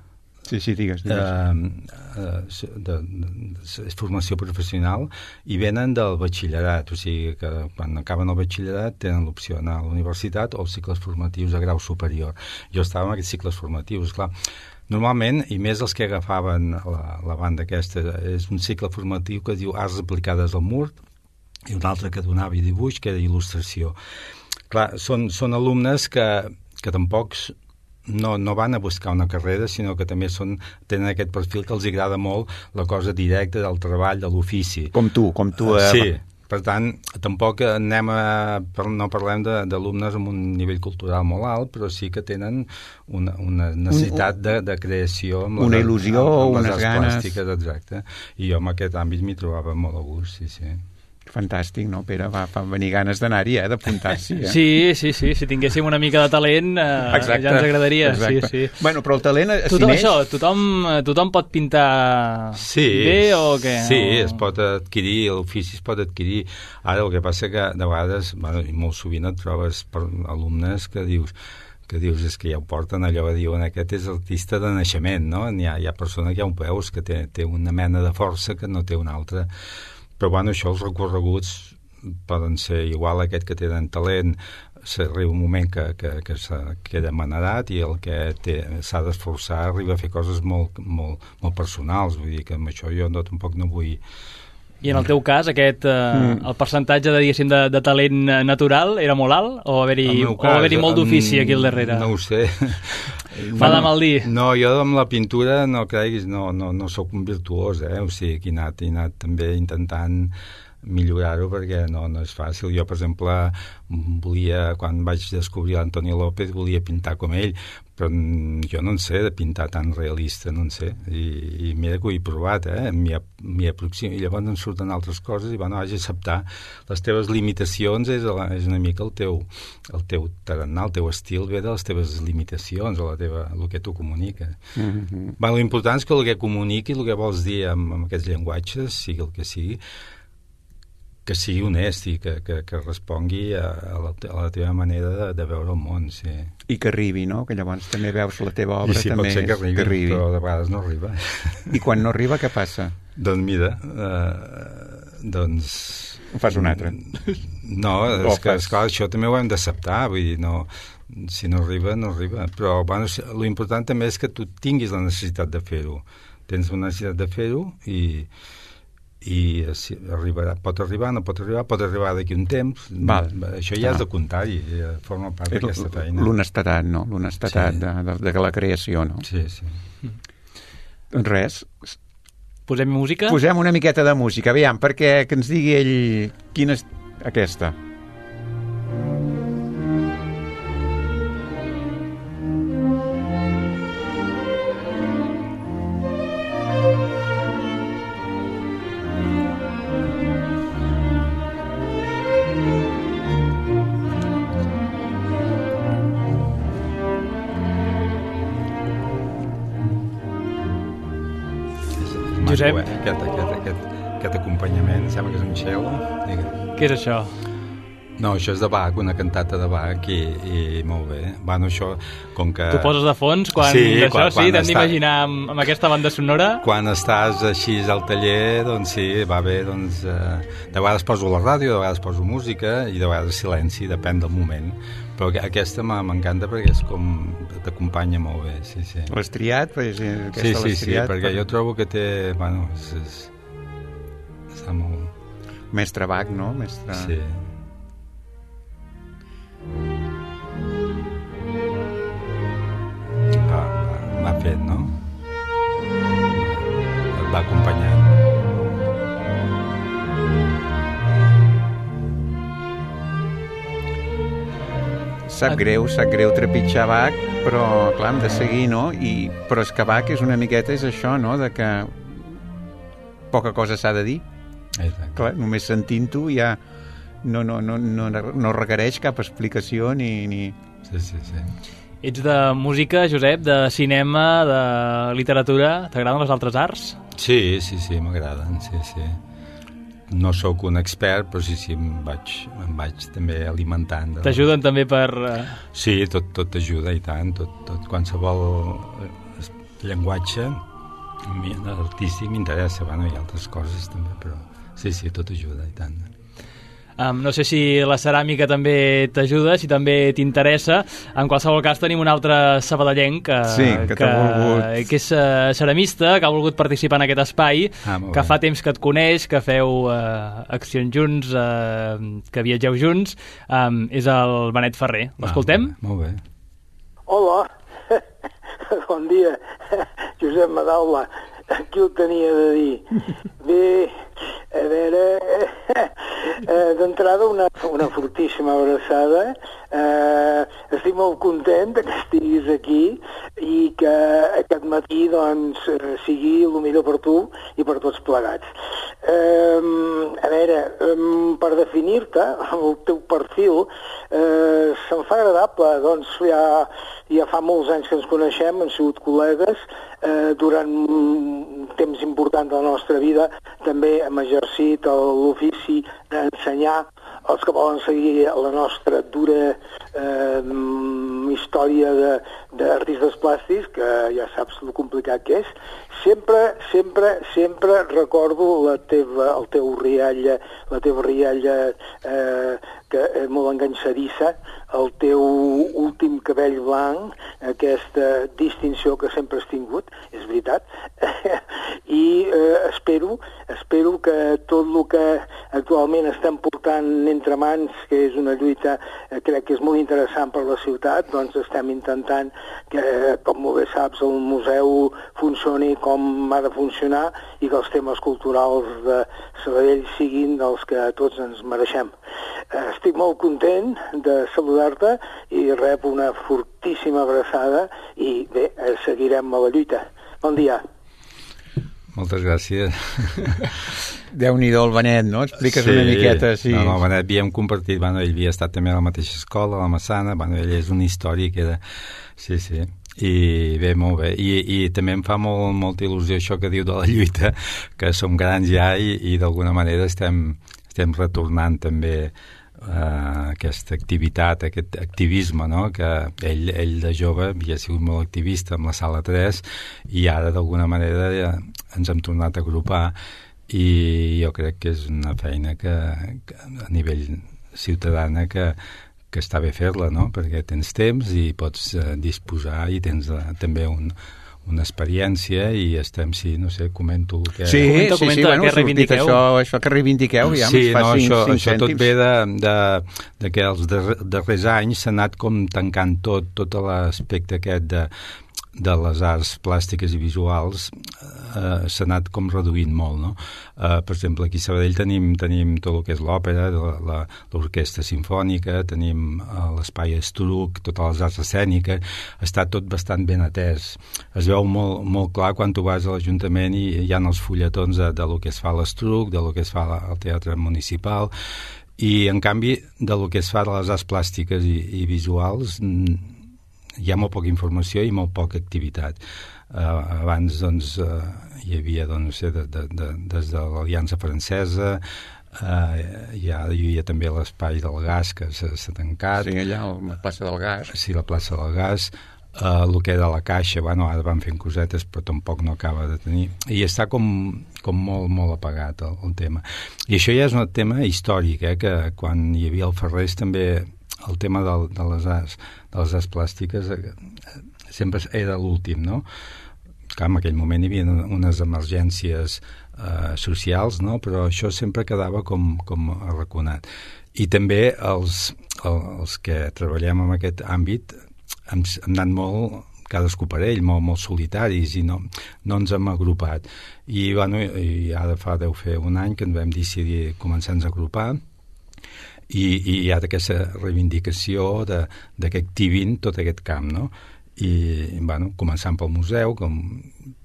Sí, sí, digues, digues. Uh, uh, de, de, de formació professional i venen del batxillerat, o sigui que quan acaben el batxillerat tenen l'opció d'anar a la universitat o els cicles formatius de grau superior. Jo estava en aquests cicles formatius, clar. Normalment, i més els que agafaven la, la banda aquesta, és un cicle formatiu que es diu Arts aplicades al mur, i un altre que donava dibuix, que era il·lustració. Clar, són, són alumnes que, que tampoc no, no van a buscar una carrera, sinó que també són, tenen aquest perfil que els agrada molt la cosa directa del treball, de l'ofici. Com tu, com tu. Eh? Sí, per tant, tampoc anem a, no parlem d'alumnes amb un nivell cultural molt alt, però sí que tenen una, una necessitat un, un, de, de creació. Amb una les, il·lusió, amb, amb unes ganes. Plàstiques, exacte. I jo en aquest àmbit m'hi trobava molt a gust, sí, sí. Fantàstic, no, Pere? Va, fa venir ganes d'anar-hi, eh, d'apuntar-s'hi. Eh? Sí, sí, sí, si tinguéssim una mica de talent eh, exacte, ja ens agradaria. Exacte. Sí, sí. Bueno, però el talent es tothom neix... això, tothom, tothom pot pintar sí, bé o què? Sí, o... es pot adquirir, l'ofici es pot adquirir. Ara el que passa que de vegades, bueno, i molt sovint et trobes per alumnes que dius que dius, és que ja ho porten allò, diuen, aquest és artista de naixement, no? Hi ha, hi ha persona que ja ho veus, que té, té una mena de força que no té una altra. Però, bueno, això, els recorreguts poden ser igual a aquest que tenen talent, s'arriba un moment que, que, que queda manedat i el que s'ha d'esforçar arriba a fer coses molt, molt, molt personals, vull dir que amb això jo no, tampoc no vull... I en el teu cas, aquest, eh, mm. el percentatge de, diguéssim, de, de talent natural era molt alt o haver-hi haver molt d'ofici aquí al darrere? No ho sé. Fa de mal dir. No, jo amb la pintura no creguis, no, no, no sóc un virtuós, eh? O sigui, que he anat, he anat també intentant millorar-ho perquè no, no és fàcil. Jo, per exemple, volia, quan vaig descobrir l'Antonio López, volia pintar com ell, però jo no en sé de pintar tan realista, no en sé. I, i mira que ho he provat, eh? M'hi aproximo. I llavors em surten altres coses i, bueno, haig d'acceptar les teves limitacions, és, és una mica el teu, el teu tarannà, el teu estil ve de les teves limitacions o la teva, el que tu comuniques. Mm-hmm. Bueno, l'important és que el que comuniqui, el que vols dir amb, amb aquests llenguatges, sigui el que sigui, que sigui honest i que, que, que respongui a, a, la, a la teva manera de, de veure el món, sí. I que arribi, no? Que llavors també veus la teva obra. I sí, també pot ser que arribi, que arribi, però de vegades no arriba. I quan no arriba, què passa? Doncs mira, eh, doncs... Fas un altre. No, és que, esclar, això també ho hem d'acceptar, vull dir, no... Si no arriba, no arriba. Però, bueno, l'important també és que tu tinguis la necessitat de fer-ho. Tens la necessitat de fer-ho i... i si arribarà, pot arribar, no pot arribar, pot arribar d'aquí un temps. Val. Això ja ah. és de comptar-hi, ja forma part d'aquesta feina. L'honestetat, no? L'honestetat sí. de, de, de la creació, no? Sí, sí. Doncs res. Posem música? Posem una miqueta de música, aviam, perquè que ens digui ell quina és aquesta. Josep. Aquest, aquest, aquest, aquest acompanyament, sembla que és un cello. Què és això? No, això és de Bach, una cantata de Bach, i, i molt bé. Bueno, això, com que... Tu poses de fons quan sí, d'això, quan, sí, quan t'hem està... d'imaginar amb, amb aquesta banda sonora. Quan estàs així al taller, doncs sí, va bé, doncs... Eh, de vegades poso la ràdio, de vegades poso música, i de vegades silenci, depèn del moment. Però aquesta m'encanta perquè és com... t'acompanya molt bé, sí, sí. L'has triat? Pues, aquesta sí, sí, l'has sí, triat, perquè per... jo trobo que té... Bueno, és, és... està molt... Mestre Bach, no? Mestre... Sí. Va, va, m'ha fet, no? Et va acompanyant. Sap greu, sap greu trepitjar Bach, però clar, hem de seguir, no? I, però és que Bach és una miqueta, és això, no?, de que poca cosa s'ha de dir. Exacte. Clar, només sentint-ho ja no, no, no, no, no requereix cap explicació ni... ni... Sí, sí, sí. Ets de música, Josep, de cinema, de literatura. T'agraden les altres arts? Sí, sí, sí, m'agraden, sí, sí. No sóc un expert, però sí, sí, em vaig, em vaig també alimentant. De... T'ajuden també per... Sí, tot, tot t'ajuda, i tant, tot, tot qualsevol llenguatge artístic m'interessa, bueno, hi ha altres coses també, però sí, sí, tot ajuda, i tant. Um, no sé si la ceràmica també t'ajuda, si també t'interessa. En qualsevol cas tenim un altre sabadellenc que, sí, que, que, volgut... que és uh, ceramista, que ha volgut participar en aquest espai, ah, que fa temps que et coneix, que feu uh, accions junts, uh, que viatgeu junts. Um, és el Benet Ferrer. L'escoltem? Ah, molt bé. Hola, bon dia, Josep Madaula. Qui ho tenia de dir? Bé, a veure, eh, d'entrada una, una fortíssima abraçada. Eh, estic molt content que estiguis aquí i que aquest matí doncs, sigui el millor per tu i per tots plegats. Eh, a veure, per definir-te, el teu perfil, eh, se'm fa agradable, doncs ja, ja fa molts anys que ens coneixem, hem sigut col·legues, eh, durant un temps important de la nostra vida també hem exercit l'ofici d'ensenyar els que volen seguir la nostra dura eh, història d'artistes plàstics, que ja saps el complicat que és. Sempre, sempre, sempre recordo la teva, el teu rialla, la teva rialla eh, que és molt enganxadissa, el teu últim cabell blanc, aquesta distinció que sempre has tingut, és veritat, i eh, espero, espero que tot el que actualment estem portant entre mans, que és una lluita, eh, crec que és molt interessant per la ciutat, doncs estem intentant que, com molt bé saps, el museu funcioni com ha de funcionar i que els temes culturals de Sabadell siguin dels que tots ens mereixem. Eh, estic molt content de saludar-te i rep una fortíssima abraçada i bé, eh, seguirem a la lluita. Bon dia. Moltes gràcies. Déu-n'hi-do el Benet, no? Expliques sí, una miqueta. Sí, no, el Benet havíem compartit, bueno, ell havia estat també a la mateixa escola, a la Massana, bueno, ell és una història que era... Sí, sí, i bé, molt bé. I, i també em fa molt, molta il·lusió això que diu de la lluita, que som grans ja i, i d'alguna manera estem, estem retornant també Uh, aquesta activitat, aquest activisme, no? Que ell, ell de jove havia sigut molt activista amb la Sala tres i ara d'alguna manera ja ens hem tornat a agrupar i jo crec que és una feina que, que a nivell ciutadana que, que està bé fer-la, no? Perquè tens temps i pots uh, disposar i tens uh, també un una experiència i estem, sí, no sé, comento que... Sí, comenta, sí, comenta, sí, bueno, que reivindiqueu. Això, això que reivindiqueu, ja sí, ens fa no, cinc, això, cinc això tot cèntims. ve de, de, de que els darrers anys s'ha anat com tancant tot, tot l'aspecte aquest de, de les arts plàstiques i visuals eh, s'ha anat com reduint molt, no? Eh, per exemple, aquí a Sabadell tenim, tenim tot el que és l'òpera, l'orquestra sinfònica, tenim eh, l'espai Estruc, totes les arts escèniques, està tot bastant ben atès. Es veu molt, molt clar quan tu vas a l'Ajuntament i hi ha els fulletons de, de lo que es fa a l'Estruc, de lo que es fa al Teatre Municipal, i en canvi de lo que es fa de les arts plàstiques i, i visuals hi ha molt poca informació i molt poca activitat. Uh, abans doncs, uh, hi havia doncs, no sé, de, de, de, des de l'Aliança Francesa, Uh, hi, ha, hi havia també l'espai del gas que s'ha tancat. Sí, allà, la plaça del gas. Sí, la plaça del gas. Uh, el que era la caixa, bueno, ara van fent cosetes, però tampoc no acaba de tenir. I està com, com molt, molt apagat el, el tema. I això ja és un tema històric, eh, que quan hi havia el Ferrés també el tema del, de, les arts, de les arts plàstiques eh, sempre era l'últim, no? Clar, en aquell moment hi havia unes emergències eh, socials, no? Però això sempre quedava com, com arraconat. I també els, els que treballem en aquest àmbit hem, hem anat molt, cadascú per ell, molt, molt solitaris i no, no ens hem agrupat. I, bueno, i ara fa, deu fer un any que ens vam decidir començar-nos a agrupar i, i hi ha aquesta reivindicació de, de que activin tot aquest camp, no? I, bueno, començant pel museu, com,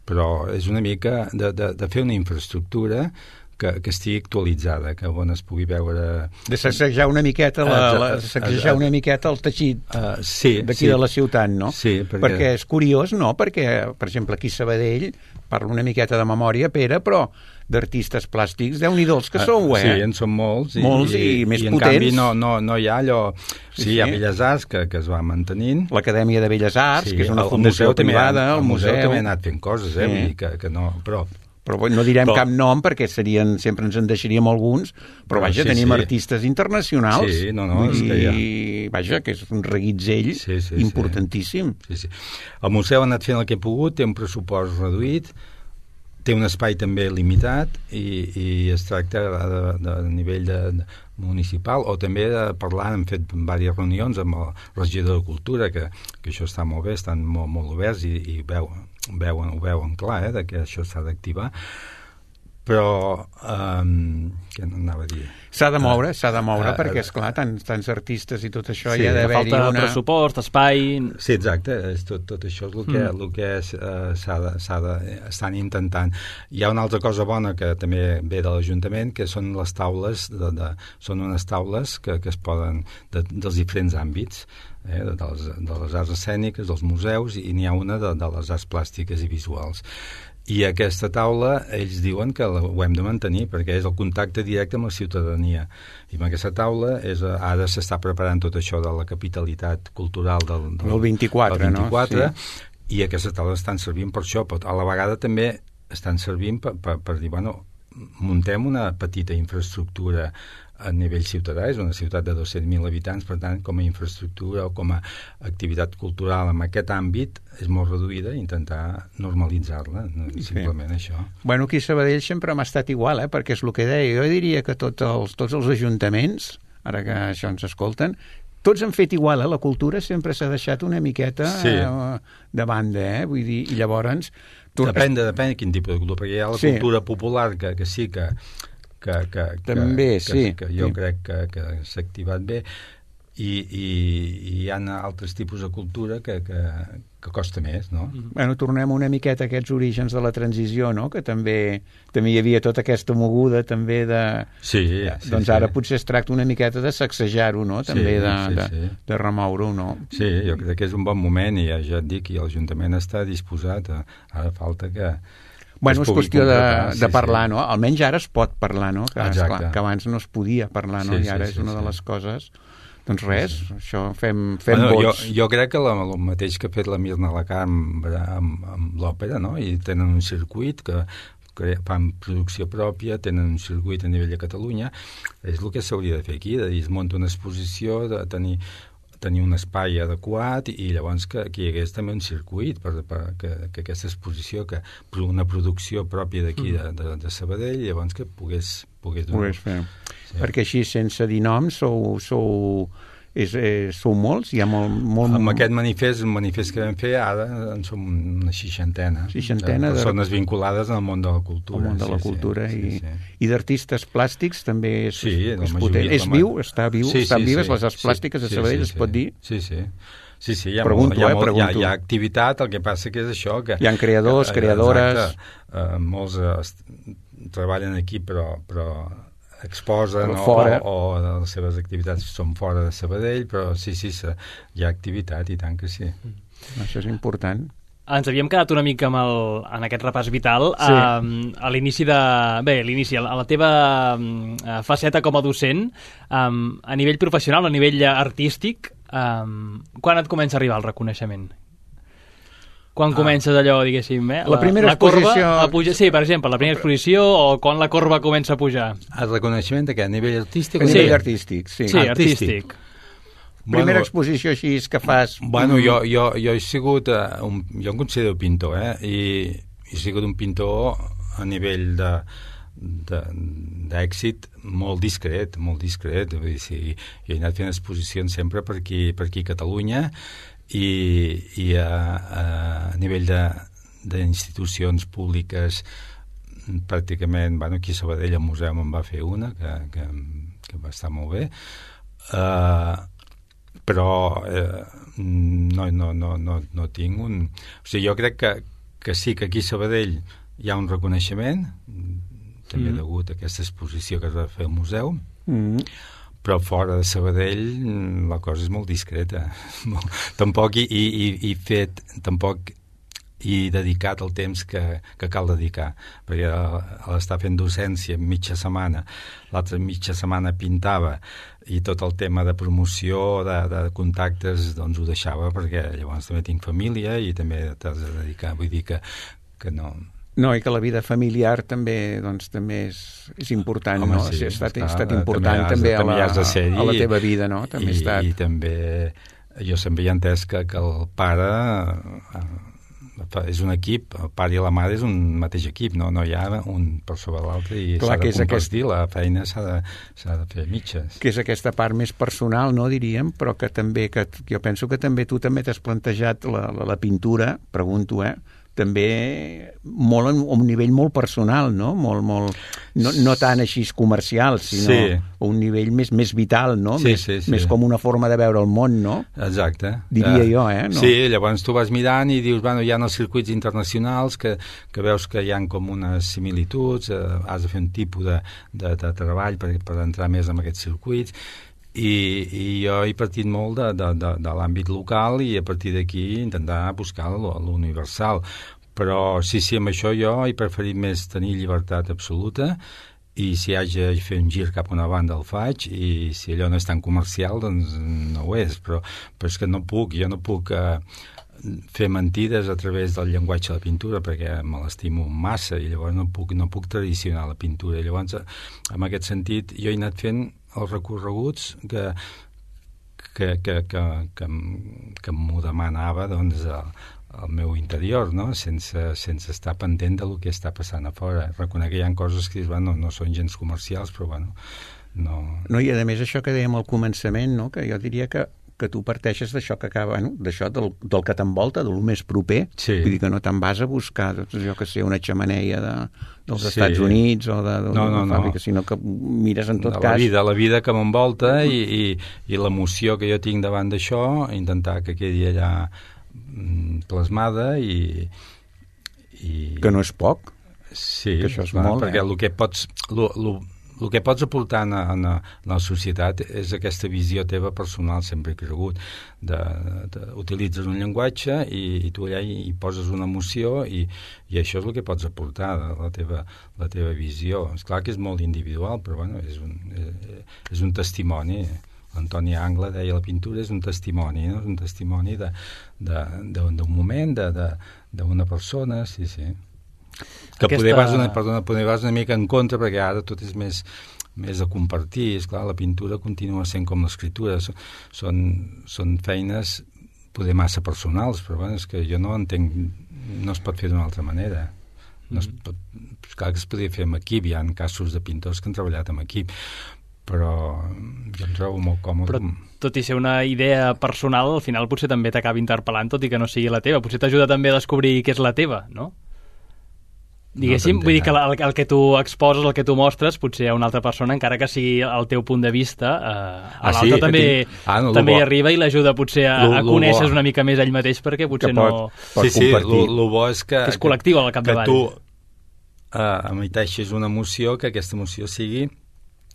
però és una mica de, de, de fer una infraestructura que, que estigui actualitzada, que on es pugui veure... De sacsejar una miqueta la, la, sacsejar una miqueta el teixit uh, sí, d'aquí sí. de la ciutat, no? Sí, perquè... perquè és curiós, no? Perquè, per exemple, aquí a Sabadell, parlo una miqueta de memòria, Pere, però d'artistes plàstics, déu-n'hi-do els que uh, sou, eh? Sí, en són molts. I, molts i, i, i més i potents. I en canvi no, no, no hi ha allò... Sí, sí, hi ha Belles Arts que, que es va mantenint. L'Acadèmia de Belles Arts, sí, que és una el, fundació el privada, el, el museu... El museu també ha anat fent coses, eh? Sí. Vull dir que, que no... Però... Però no direm però, cap nom perquè serien, sempre ens en deixaríem alguns, però vaja, sí, tenim sí. artistes internacionals. Sí, no, no, és i, que ja... vaja, que és un reguitzell sí, sí, importantíssim. Sí, sí. El museu ha anat fent el que ha pogut, té un pressupost reduït, té un espai també limitat i, i es tracta de, de, de nivell de, de municipal o també de parlar, hem fet diverses reunions amb el regidor de Cultura, que, que això està molt bé, estan molt, molt oberts i, i veuen, veuen, ho veuen clar, eh, de que això s'ha d'activar. Però, um, què anava a dir? S'ha de moure, s'ha de moure, uh, perquè, esclar, tants, tants artistes i tot això, sí, hi ha d'haver-hi una... Falta pressupost, espai... Sí, exacte, és tot, tot això és el que, mm. el que és, uh, s'ha de, s'ha de, estan intentant. Hi ha una altra cosa bona que també ve de l'Ajuntament, que són les taules, de, de, són unes taules que, que es poden, de, dels diferents àmbits, eh, de, les, de les arts escèniques, dels museus, i n'hi ha una de, de les arts plàstiques i visuals. I aquesta taula, ells diuen que la, ho hem de mantenir, perquè és el contacte directe amb la ciutadania. I amb aquesta taula és, ara s'està preparant tot això de la capitalitat cultural del, del, el vint-i-quatre, del vint-i-quatre, no? Sí. I aquestes taules estan servint per això, però a la vegada també estan servint per, per, per dir, bueno, muntem una petita infraestructura a nivell ciutadà, és una ciutat de dos-cents mil habitants, per tant, com a infraestructura o com a activitat cultural en aquest àmbit és molt reduïda, intentar normalitzar-la, simplement sí. Això. Bueno, aquí a Sabadell sempre m'ha estat igual, eh? Perquè és el que deia, jo diria que tots els, tots els ajuntaments, ara que això ens escolten, tots han fet igual, eh? La cultura sempre s'ha deixat una miqueta sí. eh, de banda, eh? Vull dir, i llavors... Tu... Depèn, de, depèn de quin tipus de cultura, perquè hi ha la sí. cultura popular que, que sí que que, que, també, que, sí. que, que jo sí. crec que, que s'ha activat bé i, i, i hi ha altres tipus de cultura que, que, que costa més, no? Bueno, tornem una miqueta a aquests orígens de la transició, no? Que també també hi havia tota aquesta moguda també de... Sí, sí doncs sí. ara potser es tracta una miqueta de sacsejar-ho, no? També sí, de, sí, de, sí. de remoure-ho, no? Sí, jo crec que és un bon moment i ja, ja et dic, i l'Ajuntament està disposat a, ara falta que Bueno, és qüestió de, sí, de parlar, sí. no? Almenys ara es pot parlar, no? Que, esclar, que abans no es podia parlar, no? Sí, I ara sí, és una sí, de les coses... Doncs res, sí. Això fem, fem bueno, vots. Jo, jo crec que la, el mateix que ha fet la Mirna Lacam amb, amb, amb l'òpera, no? I tenen un circuit que, que fan producció pròpia, tenen un circuit a nivell de Catalunya, és el que s'hauria de fer aquí, de dir, es munta una exposició, de tenir... tenir un espai adequat i llavors que, que hi hagués també un circuit per, per que, que aquesta exposició, que una producció pròpia d'aquí de, de, de Sabadell, llavors que pogués, pogués donar. Pogués fer. Sí. Perquè així, sense dir noms, sou, sou, és, és, sou molts? Hi ha molt, molt... Amb aquest manifest, un manifest que vam fer, ara en som una seixantena. Seixantena de de persones vinculades al món de la cultura. Al món de la sí, cultura sí, i, sí, sí. i d'artistes plàstics també és, sí, és potent. És viu? Està viu? Sí, Estan sí, vives sí, les arts plàstiques sí, de Sabadell, sí, es pot dir? Sí, sí. Sí, sí, hi ha, pregunto, molt, hi ha, eh, molt, hi ha, hi ha activitat, el que passa que és això que... Hi ha creadors, que, creadores... Exacte, uh, molts uh, treballen aquí però, però exposen o, o, o les seves activitats són fora de Sabadell, però sí, sí, hi ha activitat i tant que sí. Això és important. ens havíem quedat una mica amb el, en aquest repàs vital sí. a, a l'inici de... Bé, a l'inici, a la teva a faceta com a docent, um, a nivell professional, a nivell artístic, um, quan et comença a arribar el reconeixement? Quan ah. comences allò, diguéssim, eh? La, la primera la exposició... Corba a pujar, sí, per exemple, la primera exposició o quan la corba comença a pujar? El reconeixement de què? A nivell artístic? A sí. nivell artístic, sí. Sí, artístic. artístic. Primera bueno, exposició així que fas... Bueno, jo, jo, jo he sigut... Uh, un, jo em considero pintor, eh? I he sigut un pintor a nivell de d'èxit molt discret, molt discret. Vull dir, sí, jo he anat fent exposicions sempre per aquí, per aquí a Catalunya i, i a, a nivell d'institucions públiques pràcticament, bueno, aquí a Sabadell al museu me'n va fer una que, que, que va estar molt bé. Uh, però eh, no, no, no, no, no tinc un... O sigui, jo crec que, que sí que aquí a Sabadell hi ha un reconeixement, també mm. degut a aquesta exposició que es va fer al museu, mm. però fora de Sabadell la cosa és molt discreta. Tampoc hi, hi, hi fet... Tampoc i dedicat el temps que, que cal dedicar, perquè a l'estar fent docència mitja setmana, l'altra mitja setmana pintava i tot el tema de promoció, de, de contactes, doncs ho deixava perquè llavors també tinc família i també t'has de dedicar, vull dir que, que no... No, i que la vida familiar també, doncs, també és, és important, Home, no? Sí, ha estat, està, estat important també, també, a, la, de ser, a la teva vida, no? També i, ha estat... I també jo sempre hi he entès que, que el pare... és un equip, el pare i la mare és un mateix equip, no, no hi ha un per sobre l'altre i s'ha de compartir, aquest... la feina s'ha de, s'ha de fer mitges. Que és aquesta part més personal, no, diríem, però que també, que jo penso que també tu també t'has plantejat la, la, la pintura, pregunto, eh, també molt en un nivell molt personal, no? Molt, molt, no, no tant així comercial, sinó sí. un nivell més, més vital, no? Sí, més, sí, sí. més com una forma de veure el món, no? Exacte. Diria uh, jo, eh? No? Sí, llavors tu vas mirant i dius, bueno, hi ha els circuits internacionals que, que veus que hi ha com unes similituds, eh, has de fer un tipus de, de, de treball per, per entrar més en aquests circuits. I, i jo he partit molt de, de, de, de l'àmbit local i a partir d'aquí intentar buscar l'universal, però sí, sí, amb això jo he preferit més tenir llibertat absoluta i si haig de fer un gir cap a una banda el faig i si allò no és tan comercial doncs no ho és, però, però és que no puc, jo no puc eh, fer mentides a través del llenguatge de la pintura perquè me l'estimo massa i llavors no puc, no puc tradicionar la pintura. Llavors, en aquest sentit, jo he anat fent els recorreguts que, que, que, que, que, que m'ho demanava doncs, el, el meu interior, no? sense, sense estar pendent del que està passant a fora. Reconec que hi ha coses que bueno, no són gens comercials, però bueno, no... No, i a més això que dèiem al començament, no? Que jo diria que que tu parteixes d'això que acaba, bueno, d'això del, del que t'envolta, del més proper, sí. Vull dir que no te'n vas a buscar, doncs, jo que sé, una xemeneia de, dels sí. Estats Units o de, de, no, no, de fàbrica, no. sinó que mires en tot de cas... La vida, la vida que m'envolta i, i, i l'emoció que jo tinc davant d'això, intentar que quedi allà plasmada i, i... Que no és poc. Sí, que això és clar, molt, perquè eh? el que pots... Lo, lo, el que pots aportar en, en, en la societat és aquesta visió teva personal, sempre he cregut. De, de, utilitzes un llenguatge i, i tu allà hi, hi poses una emoció i, i això és el que pots aportar, la teva, la teva visió. És clar que és molt individual, però bueno, és, un, és, és un testimoni. Antoni Angla deia la pintura és un testimoni, no? És un testimoni d'un moment, d'una persona, sí, sí. Que Aquesta... poder, vas una, perdona, poder vas una mica en contra perquè ara tot és més, més a compartir. És clar, la pintura continua sent com l'escriptura. Són, són feines poder massa personals, però bueno, és que jo no entenc, no es pot fer d'una altra manera. No es pot, clar que es podria fer amb equip, hi ha casos de pintors que han treballat amb equip, però jo em trobo molt còmode. Però tot i ser una idea personal, al final potser també t'acaba interpel·lant, tot i que no sigui la teva. Potser t'ajuda també a descobrir què és la teva, no? Diguéssim, no vull dir que el, el que tu exposes, el que tu mostres, potser a una altra persona, encara que sigui el teu punt de vista, eh, a ah, l'altre sí? també, ah, no, també hi arriba i l'ajuda potser a, lo, a conèixer una mica més ell mateix, perquè potser pot, no... Pot sí, sí, el bo és que... Que és col·lectiu al capdavall. Que tu uh, emiteixis una emoció, que aquesta emoció sigui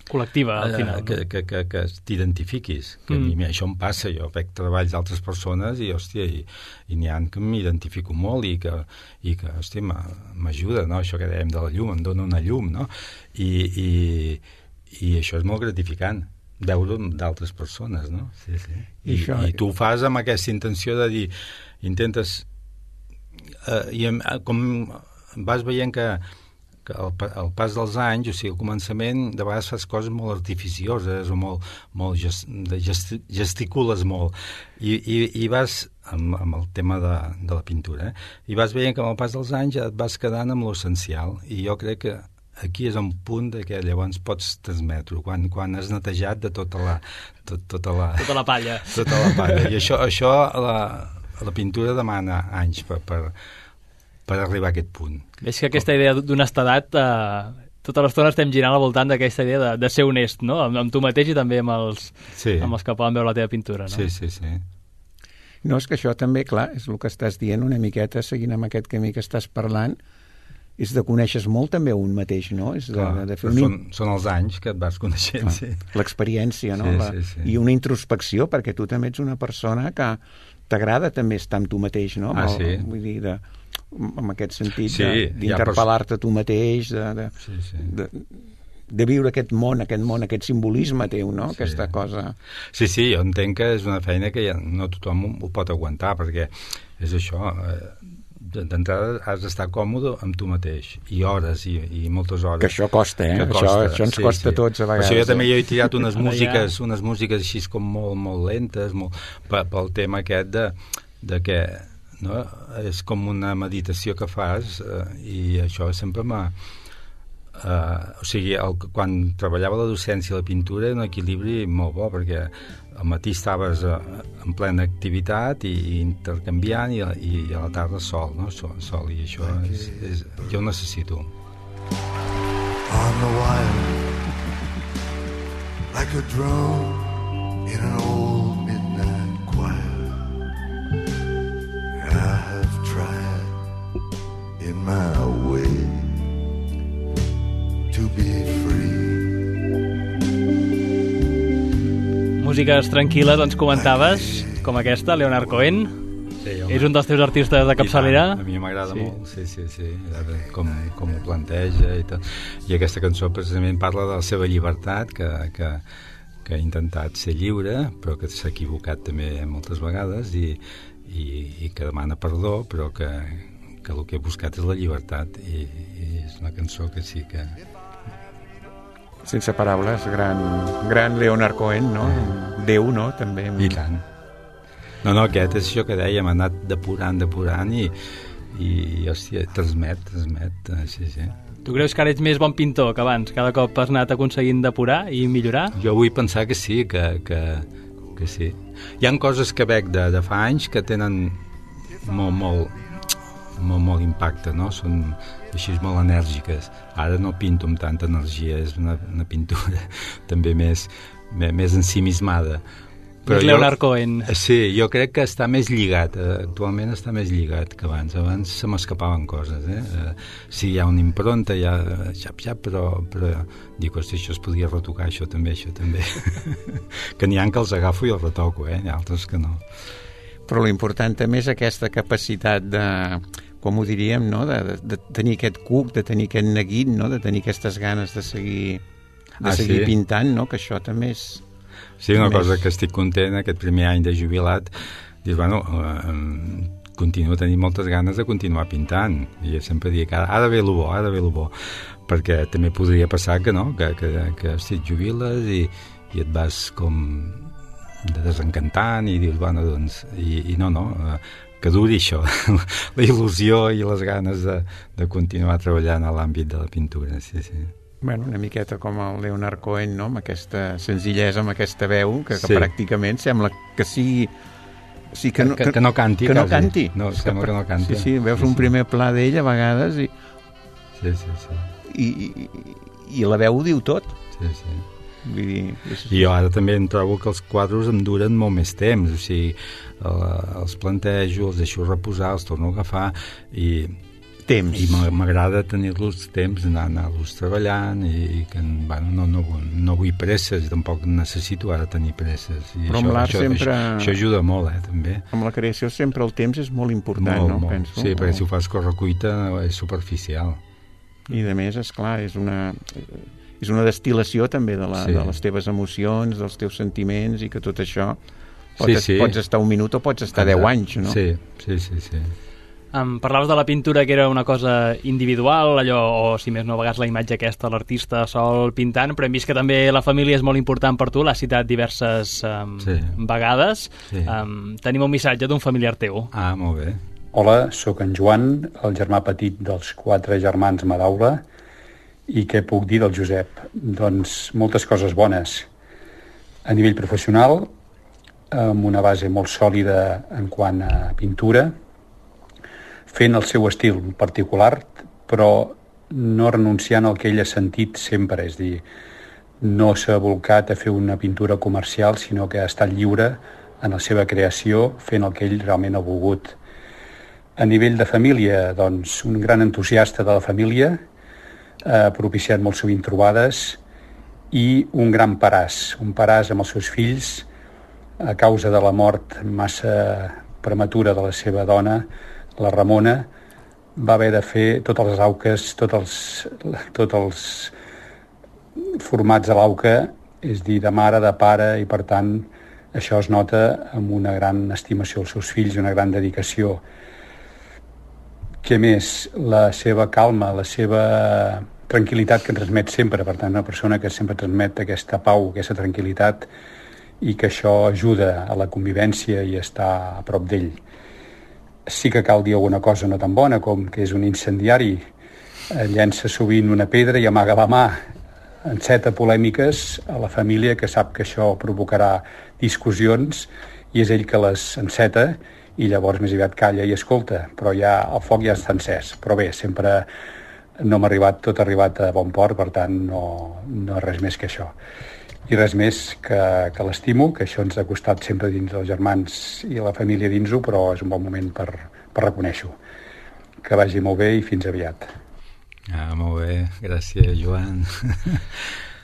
col·lectiva, al final. Que, que, que, que t'identifiquis. Que mm. a mi això em passa. Jo veig treballs d'altres persones i, hòstia, i, i n'hi ha que m'identifico molt i que, i que hòstia, m'ajuda, no? Això que dèiem de la llum, em dona una llum, no? I, i, i això és molt gratificant, veure d'altres persones, no? Sí, sí. I, I, això... I tu ho fas amb aquesta intenció de dir, intentes... Eh, i com vas veient que que al, al pas dels anys, o sigui, al començament de vegades fas coses molt artificioses o molt, molt gest, gest, gesticules molt i, i, i vas amb, amb el tema de, de la pintura, eh? I vas veient que amb el pas dels anys ja et vas quedant amb l'essencial i jo crec que aquí és un punt de que llavors pots transmetre quan, quan has netejat de tota la tot, tota la, tota la palla tota la palla i això, això la, la pintura demana anys per, per per arribar a aquest punt. És que aquesta idea d'honestedat, eh, tota l'estona estem girant al voltant d'aquesta idea de, de ser honest, no? Amb, amb tu mateix i també amb els, sí. amb els que poden veure la teva pintura, no? Sí, sí, sí. No, és que això també, clar, és el que estàs dient una miqueta, seguint amb aquest camí que estàs parlant, és de conèixer molt també un mateix, no? És de, clar, de fer un... són, són els anys que et vas coneixent, clar, sí. L'experiència, no? Sí, la... sí, sí. I una introspecció, perquè tu també ets una persona que t'agrada també estar amb tu mateix, no? Ah, el, sí? Vull dir, de... en aquest sentit, sí, d'interpel·lar-te tu mateix, de, de, sí, sí. de, de viure aquest món, aquest món, aquest simbolisme teu, no? Sí. Aquesta cosa... Sí, sí, jo entenc que és una feina que ja no tothom ho pot aguantar, perquè és això, d'entrada has d'estar còmode amb tu mateix, i hores, i, i moltes hores. Que això costa, eh? Costa. Això, això ens sí, costa sí. tots a vegades. Per això jo també he tirat unes músiques, unes músiques així com molt, molt lentes, molt, pel tema aquest de, de que no? És com una meditació que fas eh, i això sempre m'ha eh, o sigui, el, quan treballava la docència i la pintura era un equilibri molt bo perquè al matí estaves eh, en plena activitat i, i intercanviant i, i, i a la tarda sol, no? sol, sol i això és, és, jo ho necessito. On the wire like a drum in an old midnight choir I have tried in my way to be free. Músiques tranquil·les, ens comentaves, com aquesta, Leonard Cohen. Sí, és un dels teus artistes de capçalera? A mi m'agrada sí. molt, sí, sí, sí, com, com ho planteja i tot. I aquesta cançó precisament parla de la seva llibertat, que, que, que ha intentat ser lliure, però que s'ha equivocat també moltes vegades i I, i que demana perdó però que, que el que he buscat és la llibertat i, i és una cançó que sí que... Sense paraules, gran, gran Leonard Cohen, no? Eh. Déu, no? També. I tant. No, no, aquest és això que dèiem, ha anat depurant, depurant i, i hòstia, transmet, transmet, sí, sí. Tu creus que ara ets més bon pintor que abans? Cada cop has anat aconseguint depurar i millorar? Jo vull pensar que sí, que... que que sí. Hi ha coses que veig de, de fa anys que tenen molt, molt, molt, molt impacte, no? Són així molt enèrgiques. Ara no pinto amb tanta energia, és una, una pintura també més, més, més ensimismada. Però jo, Leonard Cohen. Sí, jo crec que està més lligat, actualment està més lligat que abans. Abans se m'escapaven coses, eh? Sí, hi ha una impronta, hi ha xap, xap, però, però dic, hosti, això es podria retocar, això també, això també. Que n'hi ha que els agafo i els retoco, eh? Hi ha altres que no. Però l'important també és aquesta capacitat de, com ho diríem, no? de, de, de tenir aquest cuc, de tenir aquest neguit, no? De tenir aquestes ganes de seguir, de ah, seguir sí? pintant, no? Que això també és... Sí, una més... cosa que estic content, aquest primer any de jubilat, dius, bueno, eh, continuo tenint moltes ganes de continuar pintant, i jo sempre dic, ara, ara ve el bo, ara ve el bo, perquè també podria passar que no, que, que, que hosti, et jubiles i, i et vas com desencantant i dius, bueno, doncs, i, i no, no, eh, que duri això, la il·lusió i les ganes de, de continuar treballant a l'àmbit de la pintura, sí, sí. Bueno, una miqueta com el Leonard Cohen, no? Amb aquesta senzillesa, amb aquesta veu, que, que sí. pràcticament sembla que sigui... Sí, que, no, que, que no canti, que quasi. no canti. No, sembla que no canti. Sí, sí, veus sí, un sí. primer pla d'ell a vegades i... Sí, sí, sí. I, i, i la veu ho diu tot. Sí, sí. Vull dir... És... I jo ara també em trobo que els quadros em duren molt més temps, o sigui, els plantejo, els deixo reposar, els torno a agafar i... temps. I m'agrada tenir-los temps, anar, anar-los treballant i, i que bueno, no, no, no vull presses, tampoc necessito ara tenir presses. I Però això, amb l'art això, sempre... Això, això ajuda molt, eh, també. Amb la creació sempre el temps és molt important, molt, no? Molt. Penso. Sí, perquè si ho fas correcuita és superficial. I a més, esclar, és una... és una destil·lació també de, la, sí. de les teves emocions, dels teus sentiments, i que tot això pots, sí, sí. pots estar un minut o pots estar deu anys, no? Sí, sí, sí, sí. Um, parlaves de la pintura que era una cosa individual, allò, o si més no, a vegades la imatge aquesta, l'artista sol pintant, però hem vist que també la família és molt important per tu, l'has citat diverses um, sí. vegades. Sí. Um, tenim un missatge d'un familiar teu. Ah, molt bé. Hola, sóc en Joan, el germà petit dels quatre germans Madaula. I què puc dir del Josep? Doncs moltes coses bones. A nivell professional, amb una base molt sòlida en quant a pintura, fent el seu estil particular, però no renunciant al que ell ha sentit sempre, és dir, no s'ha volcat a fer una pintura comercial, sinó que ha estat lliure en la seva creació, fent el que ell realment ha volgut. A nivell de família, doncs, un gran entusiasta de la família, ha propiciat molt sovint trobades, i un gran paràs, un paràs amb els seus fills, a causa de la mort massa prematura de la seva dona, la Ramona, va haver de fer totes les auques, tots els, tots els formats de l'auca, és dir, de mare, de pare, i per tant això es nota amb una gran estimació als seus fills i una gran dedicació. Què més? La seva calma, la seva tranquil·litat que transmet sempre, per tant, una persona que sempre transmet aquesta pau, aquesta tranquil·litat, i que això ajuda a la convivència i estar a prop d'ell. Sí que cal dir alguna cosa no tan bona, com que és un incendiari, llença sovint una pedra i amaga la mà, enceta polèmiques a la família, que sap que això provocarà discussions, i és ell que les enceta, i llavors més aviat calla i escolta, però ja el foc ja està encès. Però bé, sempre no m'ha arribat, tot ha arribat a bon port, per tant no, no res més que això. I res més que, que l'estimo, que això ens ha costat sempre dins dels germans i la família dins-ho, però és un bon moment per, per reconèixer-ho. Que vagi molt bé i fins aviat. Ah, molt bé, gràcies, Joan.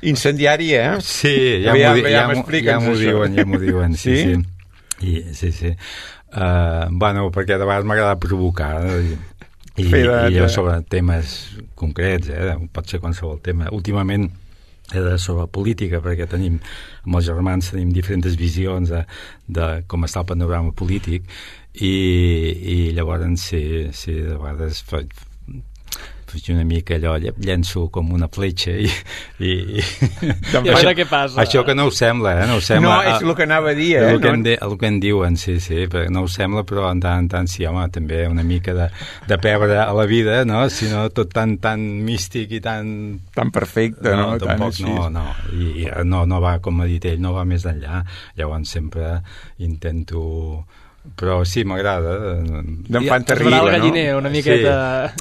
Incendiari, eh? Sí, ja m'ho di, ja ja ja diuen, ja m'ho diuen, sí, sí. Sí, I, sí, sí. Uh, bueno, perquè de vegades m'agrada provocar, i, i, i jo sobre temes concrets, eh? Pot ser qualsevol tema. Últimament era sobre política, perquè tenim, amb els germans tenim diferents visions de, de com està el panorama polític, i, i llavors sí, sí, de vegades faig una mica allò, llenço com una fletxa i, i, i, I això, què passa? Això que no ho sembla, eh? No, ho sembla, no, és el que anava a dir, eh? El que, en, de, el que en diuen, sí, sí, però no ho sembla, però en tant en tant sí, home, també una mica de, de pebre a la vida, no? Si no, tot tan, tan místic i tan... Tan perfecte, no? No, tampoc, no, no. I, i no, no va, com ha dit ell, no va més enllà. Llavors sempre intento... Però sí, m'agrada. D'enfant terrible, no? Galliner, una miqueta...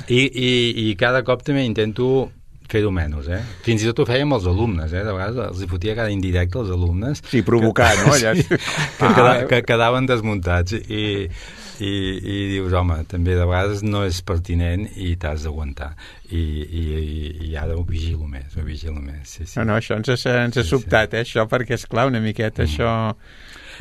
Sí. I, i, I cada cop també intento fer-ho menys, eh? Fins i tot ho feia amb els alumnes, eh? De vegades els hi fotia cada indirecte als alumnes. Sí, provocar, que, no? Allà... Sí, que, ah. queda, que quedaven desmuntats. I, i, i dius, home, també de vegades no és pertinent i t'has d'aguantar. I, i, i ara ho vigilo més, ho vigilo més. Sí, sí. No, no, això ens ha, ens ha sí, sobtat, sí. eh? Això, perquè, esclar, una miqueta, mm. això...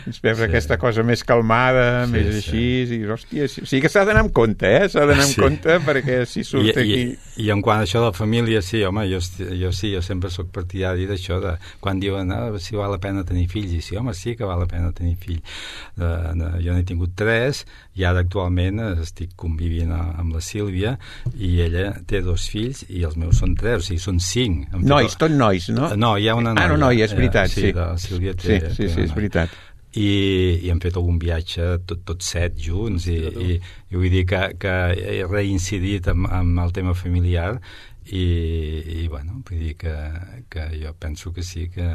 Ens veure sí. aquesta cosa més calmada, sí, més així, sí. i hòstia, sí, sí que s'ha d'anar amb compte, eh? S'ha d'anar amb sí. compte, perquè si surt I, aquí... I, I en quant a això de la família, sí, home, jo, jo sí, jo sempre sóc partidari d'això, de quan diuen ah, si val la pena tenir fills, i sí, home, sí que val la pena tenir fills. De, de, jo n'he tingut tres, i ara actualment estic convivint amb la Sílvia, i ella té dos fills, i els meus són tres, o sigui, són cinc. Nois, tot nois, no? No, hi ha una noia. Ah, no, noia, és veritat, sí. Sí, la Sílvia té, sí, sí, té sí, és veritat. I, i hem fet algun viatge tots tot set junts i, i, i vull dir que, que he reincidit amb, amb el tema familiar i, i bueno, vull dir que, que jo penso que sí que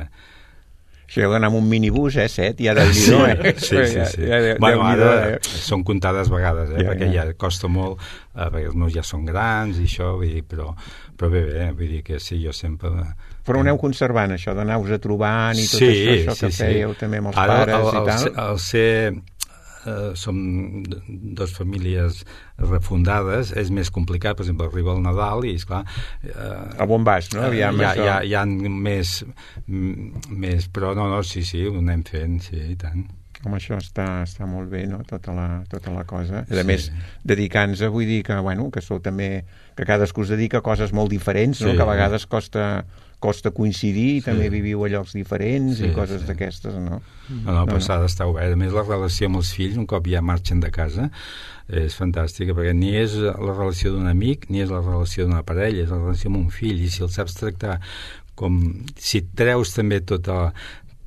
si heu d'anar amb un minibús, eh, set, ja del sí, eh? Sí, sí, sí. Ja, ja, bueno, ara eh? són comptades vegades, eh, ja, perquè ja. ja costa molt, eh, perquè els meus ja són grans i això, vull dir, però, però bé, bé, vull dir que sí, jo sempre... Però aneu conservant això, d'anar-vos a trobant i tot sí, això, això que sí, fèieu sí. també amb els ara, pares el, el, i tal? El ser eh, som dos famílies refundades, és més complicat. Per exemple, arriba el Nadal i, esclar... Eh, a on vas, no? Aviam, hi, ha, hi, ha, hi ha més, més... Però no, no, sí, sí, ho anem fent, sí, i tant. Com això està, està molt bé, no?, tota la, tota la cosa. A més, sí. dedicant-se, vull dir que, bueno, que sou també... que cadascú es dedica a coses molt diferents, no? Sí. Que a vegades costa... costa coincidir, sí. també viviu a llocs diferents sí, i coses sí. d'aquestes, no? No, no, però no, s'ha d'estar obert. A més, la relació amb els fills, un cop ja marxen de casa, és fantàstica, perquè ni és la relació d'un amic, ni és la relació d'una parella, és la relació amb un fill, i si el saps tractar com... Si treus també tota,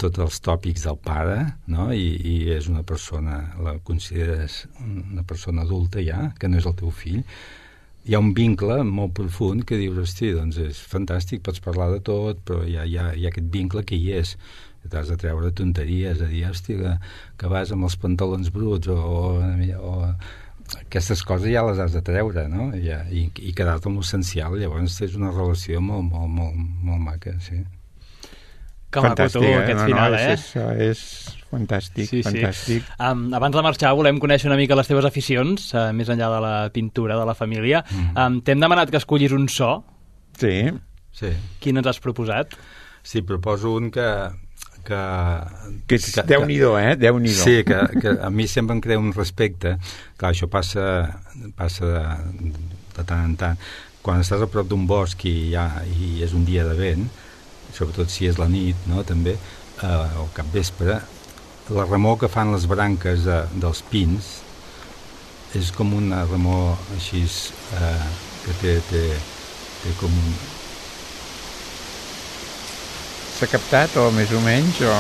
tots els tòpics del pare, no? I, i és una persona, la consideres una persona adulta ja, que no és el teu fill, hi ha un vincle molt profund que dius, hosti, doncs és fantàstic, pots parlar de tot, però hi ha, hi ha, hi ha aquest vincle que hi és. T'has de treure tonteries, a dir, hosti, que, que vas amb els pantalons bruts, o, o, o aquestes coses ja les has de treure, no? I, i, i quedar-te amb l'essencial. Llavors és una relació molt, molt, molt, molt maca, sí. Que maco tu, aquest no, final, no, eh? És, és fantàstic, sí, fantàstic. Sí. Um, abans de marxar volem conèixer una mica les teves aficions, uh, més enllà de la pintura de la família. Mm. Um, T'hem demanat que escollis un so. Sí. sí. Quin ens has proposat? Sí, proposo un que... que, que és que, Déu-n'hi-do, eh? Déu-n'hi-do. Sí, que, que a mi sempre em crea un respecte. Clar, això passa, passa de, de tant en tant. Quan estàs a prop d'un bosc i, ja, i és un dia de vent, sobretot si és la nit, no?, també, eh, o capvespre, la remor que fan les branques de, dels pins és com una remor així eh, que té, té, té com un... S'ha captat, o més o menys, o...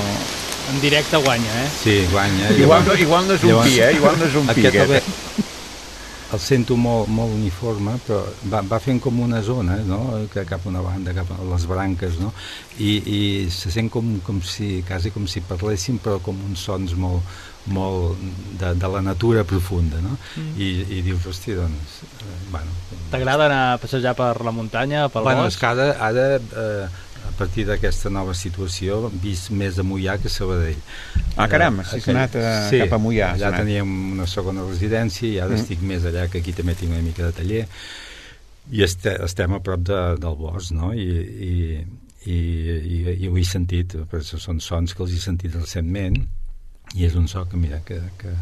En directe guanya, eh? Sí, guanya. Igual, no, igual no és un llavors, pi, eh? Igual no és un pi, aquest. El sento molt, molt uniforme, però va, va fent com una zona, no?, que cap a una banda, cap a les branques, no?, i, i se sent com, com si, quasi com si parléssim, però com uns sons molt, molt de, de la natura profunda, no?, mm. I, i dius, hosti, doncs, eh, bueno... T'agrada anar a passejar per la muntanya, pel bueno, bosc? Bueno, és que ara, ara eh, a partir d'aquesta nova situació, vist més a Moià que a Sabadell. Ah, caram, si has anat a, sí, cap a Moià. Allà teníem una segona residència i ara mm. estic més allà, que aquí també tinc una mica de taller, i este, estem a prop de, del bosc, no? I, i, i, i, i ho he sentit, perquè són sons que els he sentit recentment, i és un so que, mira, que, que,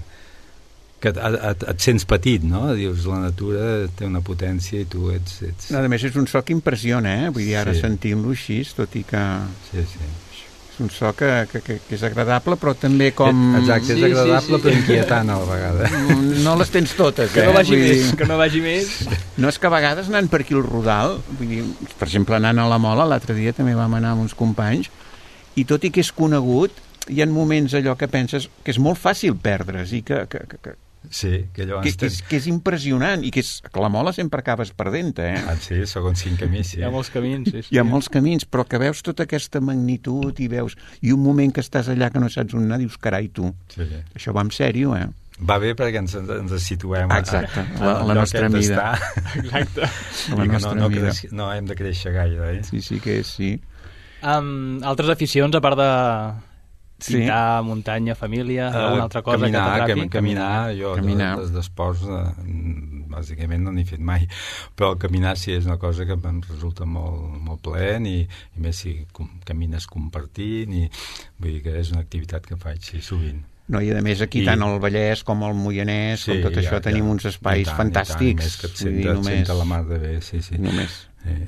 que et, et, et sents petit, no? Dius, la natura té una potència i tu ets... ets... No, a més, és un so que impressiona, eh? Vull dir, ara sí. sentint-lo així, tot i que... Sí, sí. És un so que, que, que és agradable, però també com... Exacte, és sí, agradable, sí, sí. però inquietant a la vegada. No les tens totes, que eh? No vagi vull més, dir... que no vagi més. No, és que a vegades anant per aquí al Rodal, vull dir, per exemple, anant a la Mola, l'altre dia també vam anar amb uns companys, i tot i que és conegut, hi ha moments allò que penses que és molt fàcil perdre's i que... que, que, que... Sí, que llavors... Que, que, és, que és impressionant i que, és, que la Mola sempre acabes perdent, eh? Ah, sí, segons quin camí, sí. Hi ha molts camins, sí, sí. Hi ha molts camins, però que veus tota aquesta magnitud i veus... I un moment que estàs allà que no saps on anar, dius, carai, tu, sí, sí. Això va en sèrio, eh? Va bé perquè ens, ens situem exacte, a, a, a la nostra mida. Exacte. A la nostra no, no, mida. Creix, no hem de créixer gaire, eh? Sí, sí que és, sí. Um, altres aficions, a part de... pintar, sí. Muntanya, família, uh, alguna altra cosa caminar, que t'atrapi? Cam, caminar, jo caminar. d'esports eh, bàsicament no n'he fet mai, però caminar sí és una cosa que em resulta molt, molt plaent i, i més si com, camines compartint i vull dir que és una activitat que faig sí, sovint. No, i a més aquí I... tant el Vallès com el Moianès, sí, com tot ja, això, ja, tenim uns espais tant, fantàstics. I tant, més que et senta, només... et senta la mar de bé, sí, sí. Només.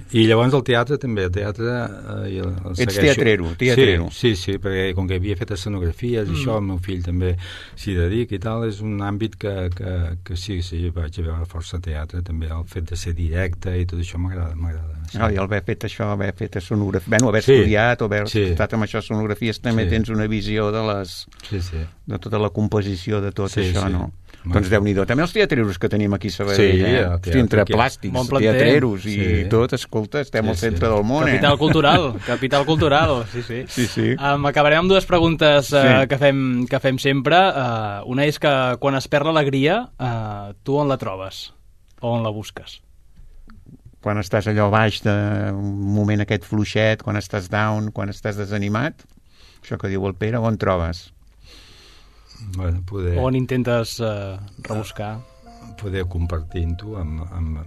I llavors el teatre també, el teatre eh, el, el ets teatrero, teatrero. Sí, sí, sí, perquè com que havia fet escenografies mm. això, el meu fill també s'hi dedica i tal, és un àmbit que, que, que sí, sí, vaig a veure força teatre també, el fet de ser directe i tot això m'agrada, m'agrada. Sí. Ah, i haver fet això, haver fet escenografia, bueno, haver sí. estudiat o haver sí. estat amb això escenografies també sí. tens una visió de les sí, sí. de tota la composició de tot sí, això, sí. no? Doncs Déu-n'hi-do. També els teatreros que tenim aquí a Sabadell, sí, eh? Hosti, entre plàstics, teatreros i sí. tot, escolta, estem sí, al centre sí. del món, capital eh? cultural, capital cultural, sí, sí. sí, sí. Um, acabarem amb dues preguntes uh, sí. que, fem, que fem sempre. Uh, una és que quan es perd l'alegria, uh, tu on la trobes? O on la busques? Quan estàs allò baix d'un moment aquest fluixet, quan estàs down, quan estàs desanimat, això que diu el Pere, on trobes? Bueno, poder... On intentes uh, rebuscar? Poder compartir-ho amb, amb,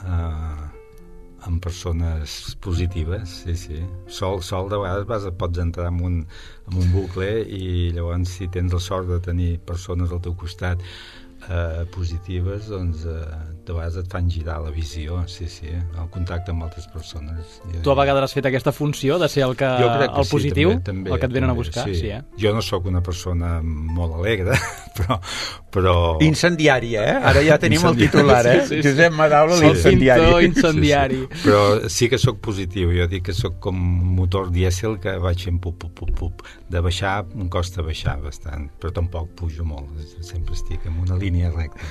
uh, amb persones positives, sí, sí. Sol, sol de vegades vas, pots entrar en un, en un bucle i llavors si tens la sort de tenir persones al teu costat eh, positives, doncs eh, de vegades et fan girar la visió, sí, sí, el contacte amb altres persones. Tu a vegades has fet aquesta funció de ser el, que, que el sí, positiu, també, també, el que et venen també, a buscar? Sí. Sí, eh? Jo no sóc una persona molt alegre, però... però... Incendiària, eh? Ara ja tenim el titular, eh? Sí, sí, sí. Josep Madaula, sí, l'incendiari. Sí, incendiari. Sí, sí. Però sí que sóc positiu, jo dic que sóc com un motor dièsel que vaig fent pup, pup, pup, pup. De baixar, em costa baixar bastant, però tampoc pujo molt, sempre estic en una línia recta.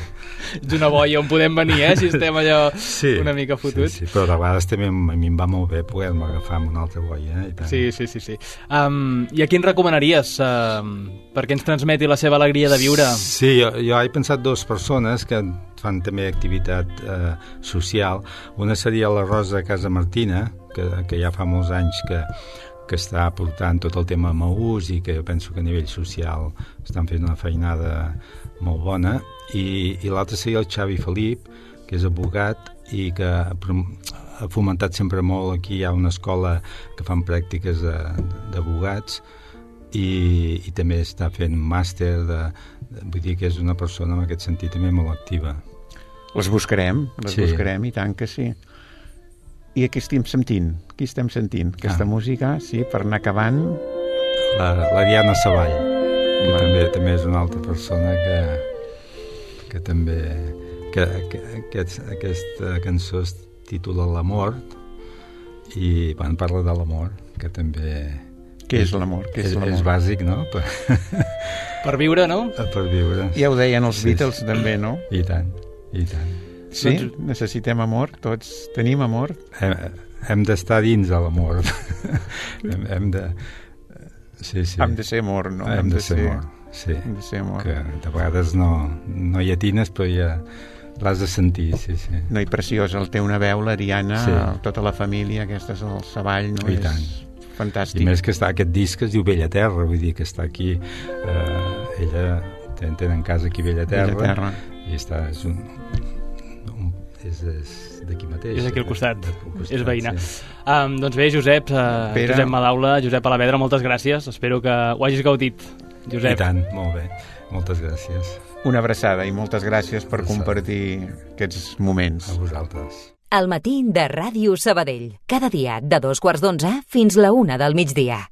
Ets una boia on podem venir, eh? Si estem allò sí, una mica fotuts. Sí, sí, però de vegades també a mi em va molt bé poder-me agafar amb una altra boia. Eh? I tant. Sí, sí, sí. sí. Um, I a qui ens recomanaries um, perquè ens transmeti la seva alegria de viure? Sí, jo, jo he pensat dues persones que fan també activitat eh, social. Una seria la Rosa Casamartina, que, que ja fa molts anys que que està portant tot el tema Maús i que jo penso que a nivell social estan fent una feinada molt bona, i, i l'altre seria el Xavi Felip, que és advocat i que ha fomentat sempre molt. Aquí hi ha una escola que fan pràctiques d'advocats i, i també està fent màster de, de, vull dir que és una persona en aquest sentit també molt activa. Les buscarem, les sí. buscarem i tant que sí. I aquí estem sentint, aquí estem sentint aquesta ah. música, sí, per anar acabant. La, la Diana Savall, que ah. també, també és una altra persona que, que també... Que, que, que aquesta cançó es titula L'amor i bueno, parla de l'amor, que també... Què és l'amor? Què és, és, l'amor? És bàsic, no? Per, per viure, no? Per viure. Ja ho deien els sí, Beatles, sí. també, no? I tant, i tant. Sí, necessitem amor, tots tenim amor. Hem, hem d'estar dins de l'amor. hem, hem de... Sí, sí. Hem de ser amor, no? Hem, hem de, de ser amor, sí. Hem de ser amor. Que de vegades no, no hi atines, però ja l'has de sentir, sí, sí. No, i preciós, el té una veu, l'Ariana, sí. tota la família, aquesta és el Savall, no? I és tant. Fantàstic. I més que està, aquest disc es diu Bella Terra, vull dir que està aquí, eh, ella tenen casa aquí Bella Terra, Bella Terra. I està, és un... és, és d'aquí mateix. És aquí al costat, de, de costat és veïna. Sí. Um, doncs bé, Josep, uh, Josep Madaula, Josep Alavedra, moltes gràcies. Espero que ho hagis gaudit, Josep. I tant, molt bé. Moltes gràcies. Una abraçada i moltes gràcies per abraçada. Compartir aquests moments. A vosaltres. Al matí de Ràdio Sabadell. Cada dia de dos quarts d'onze fins la una del migdia.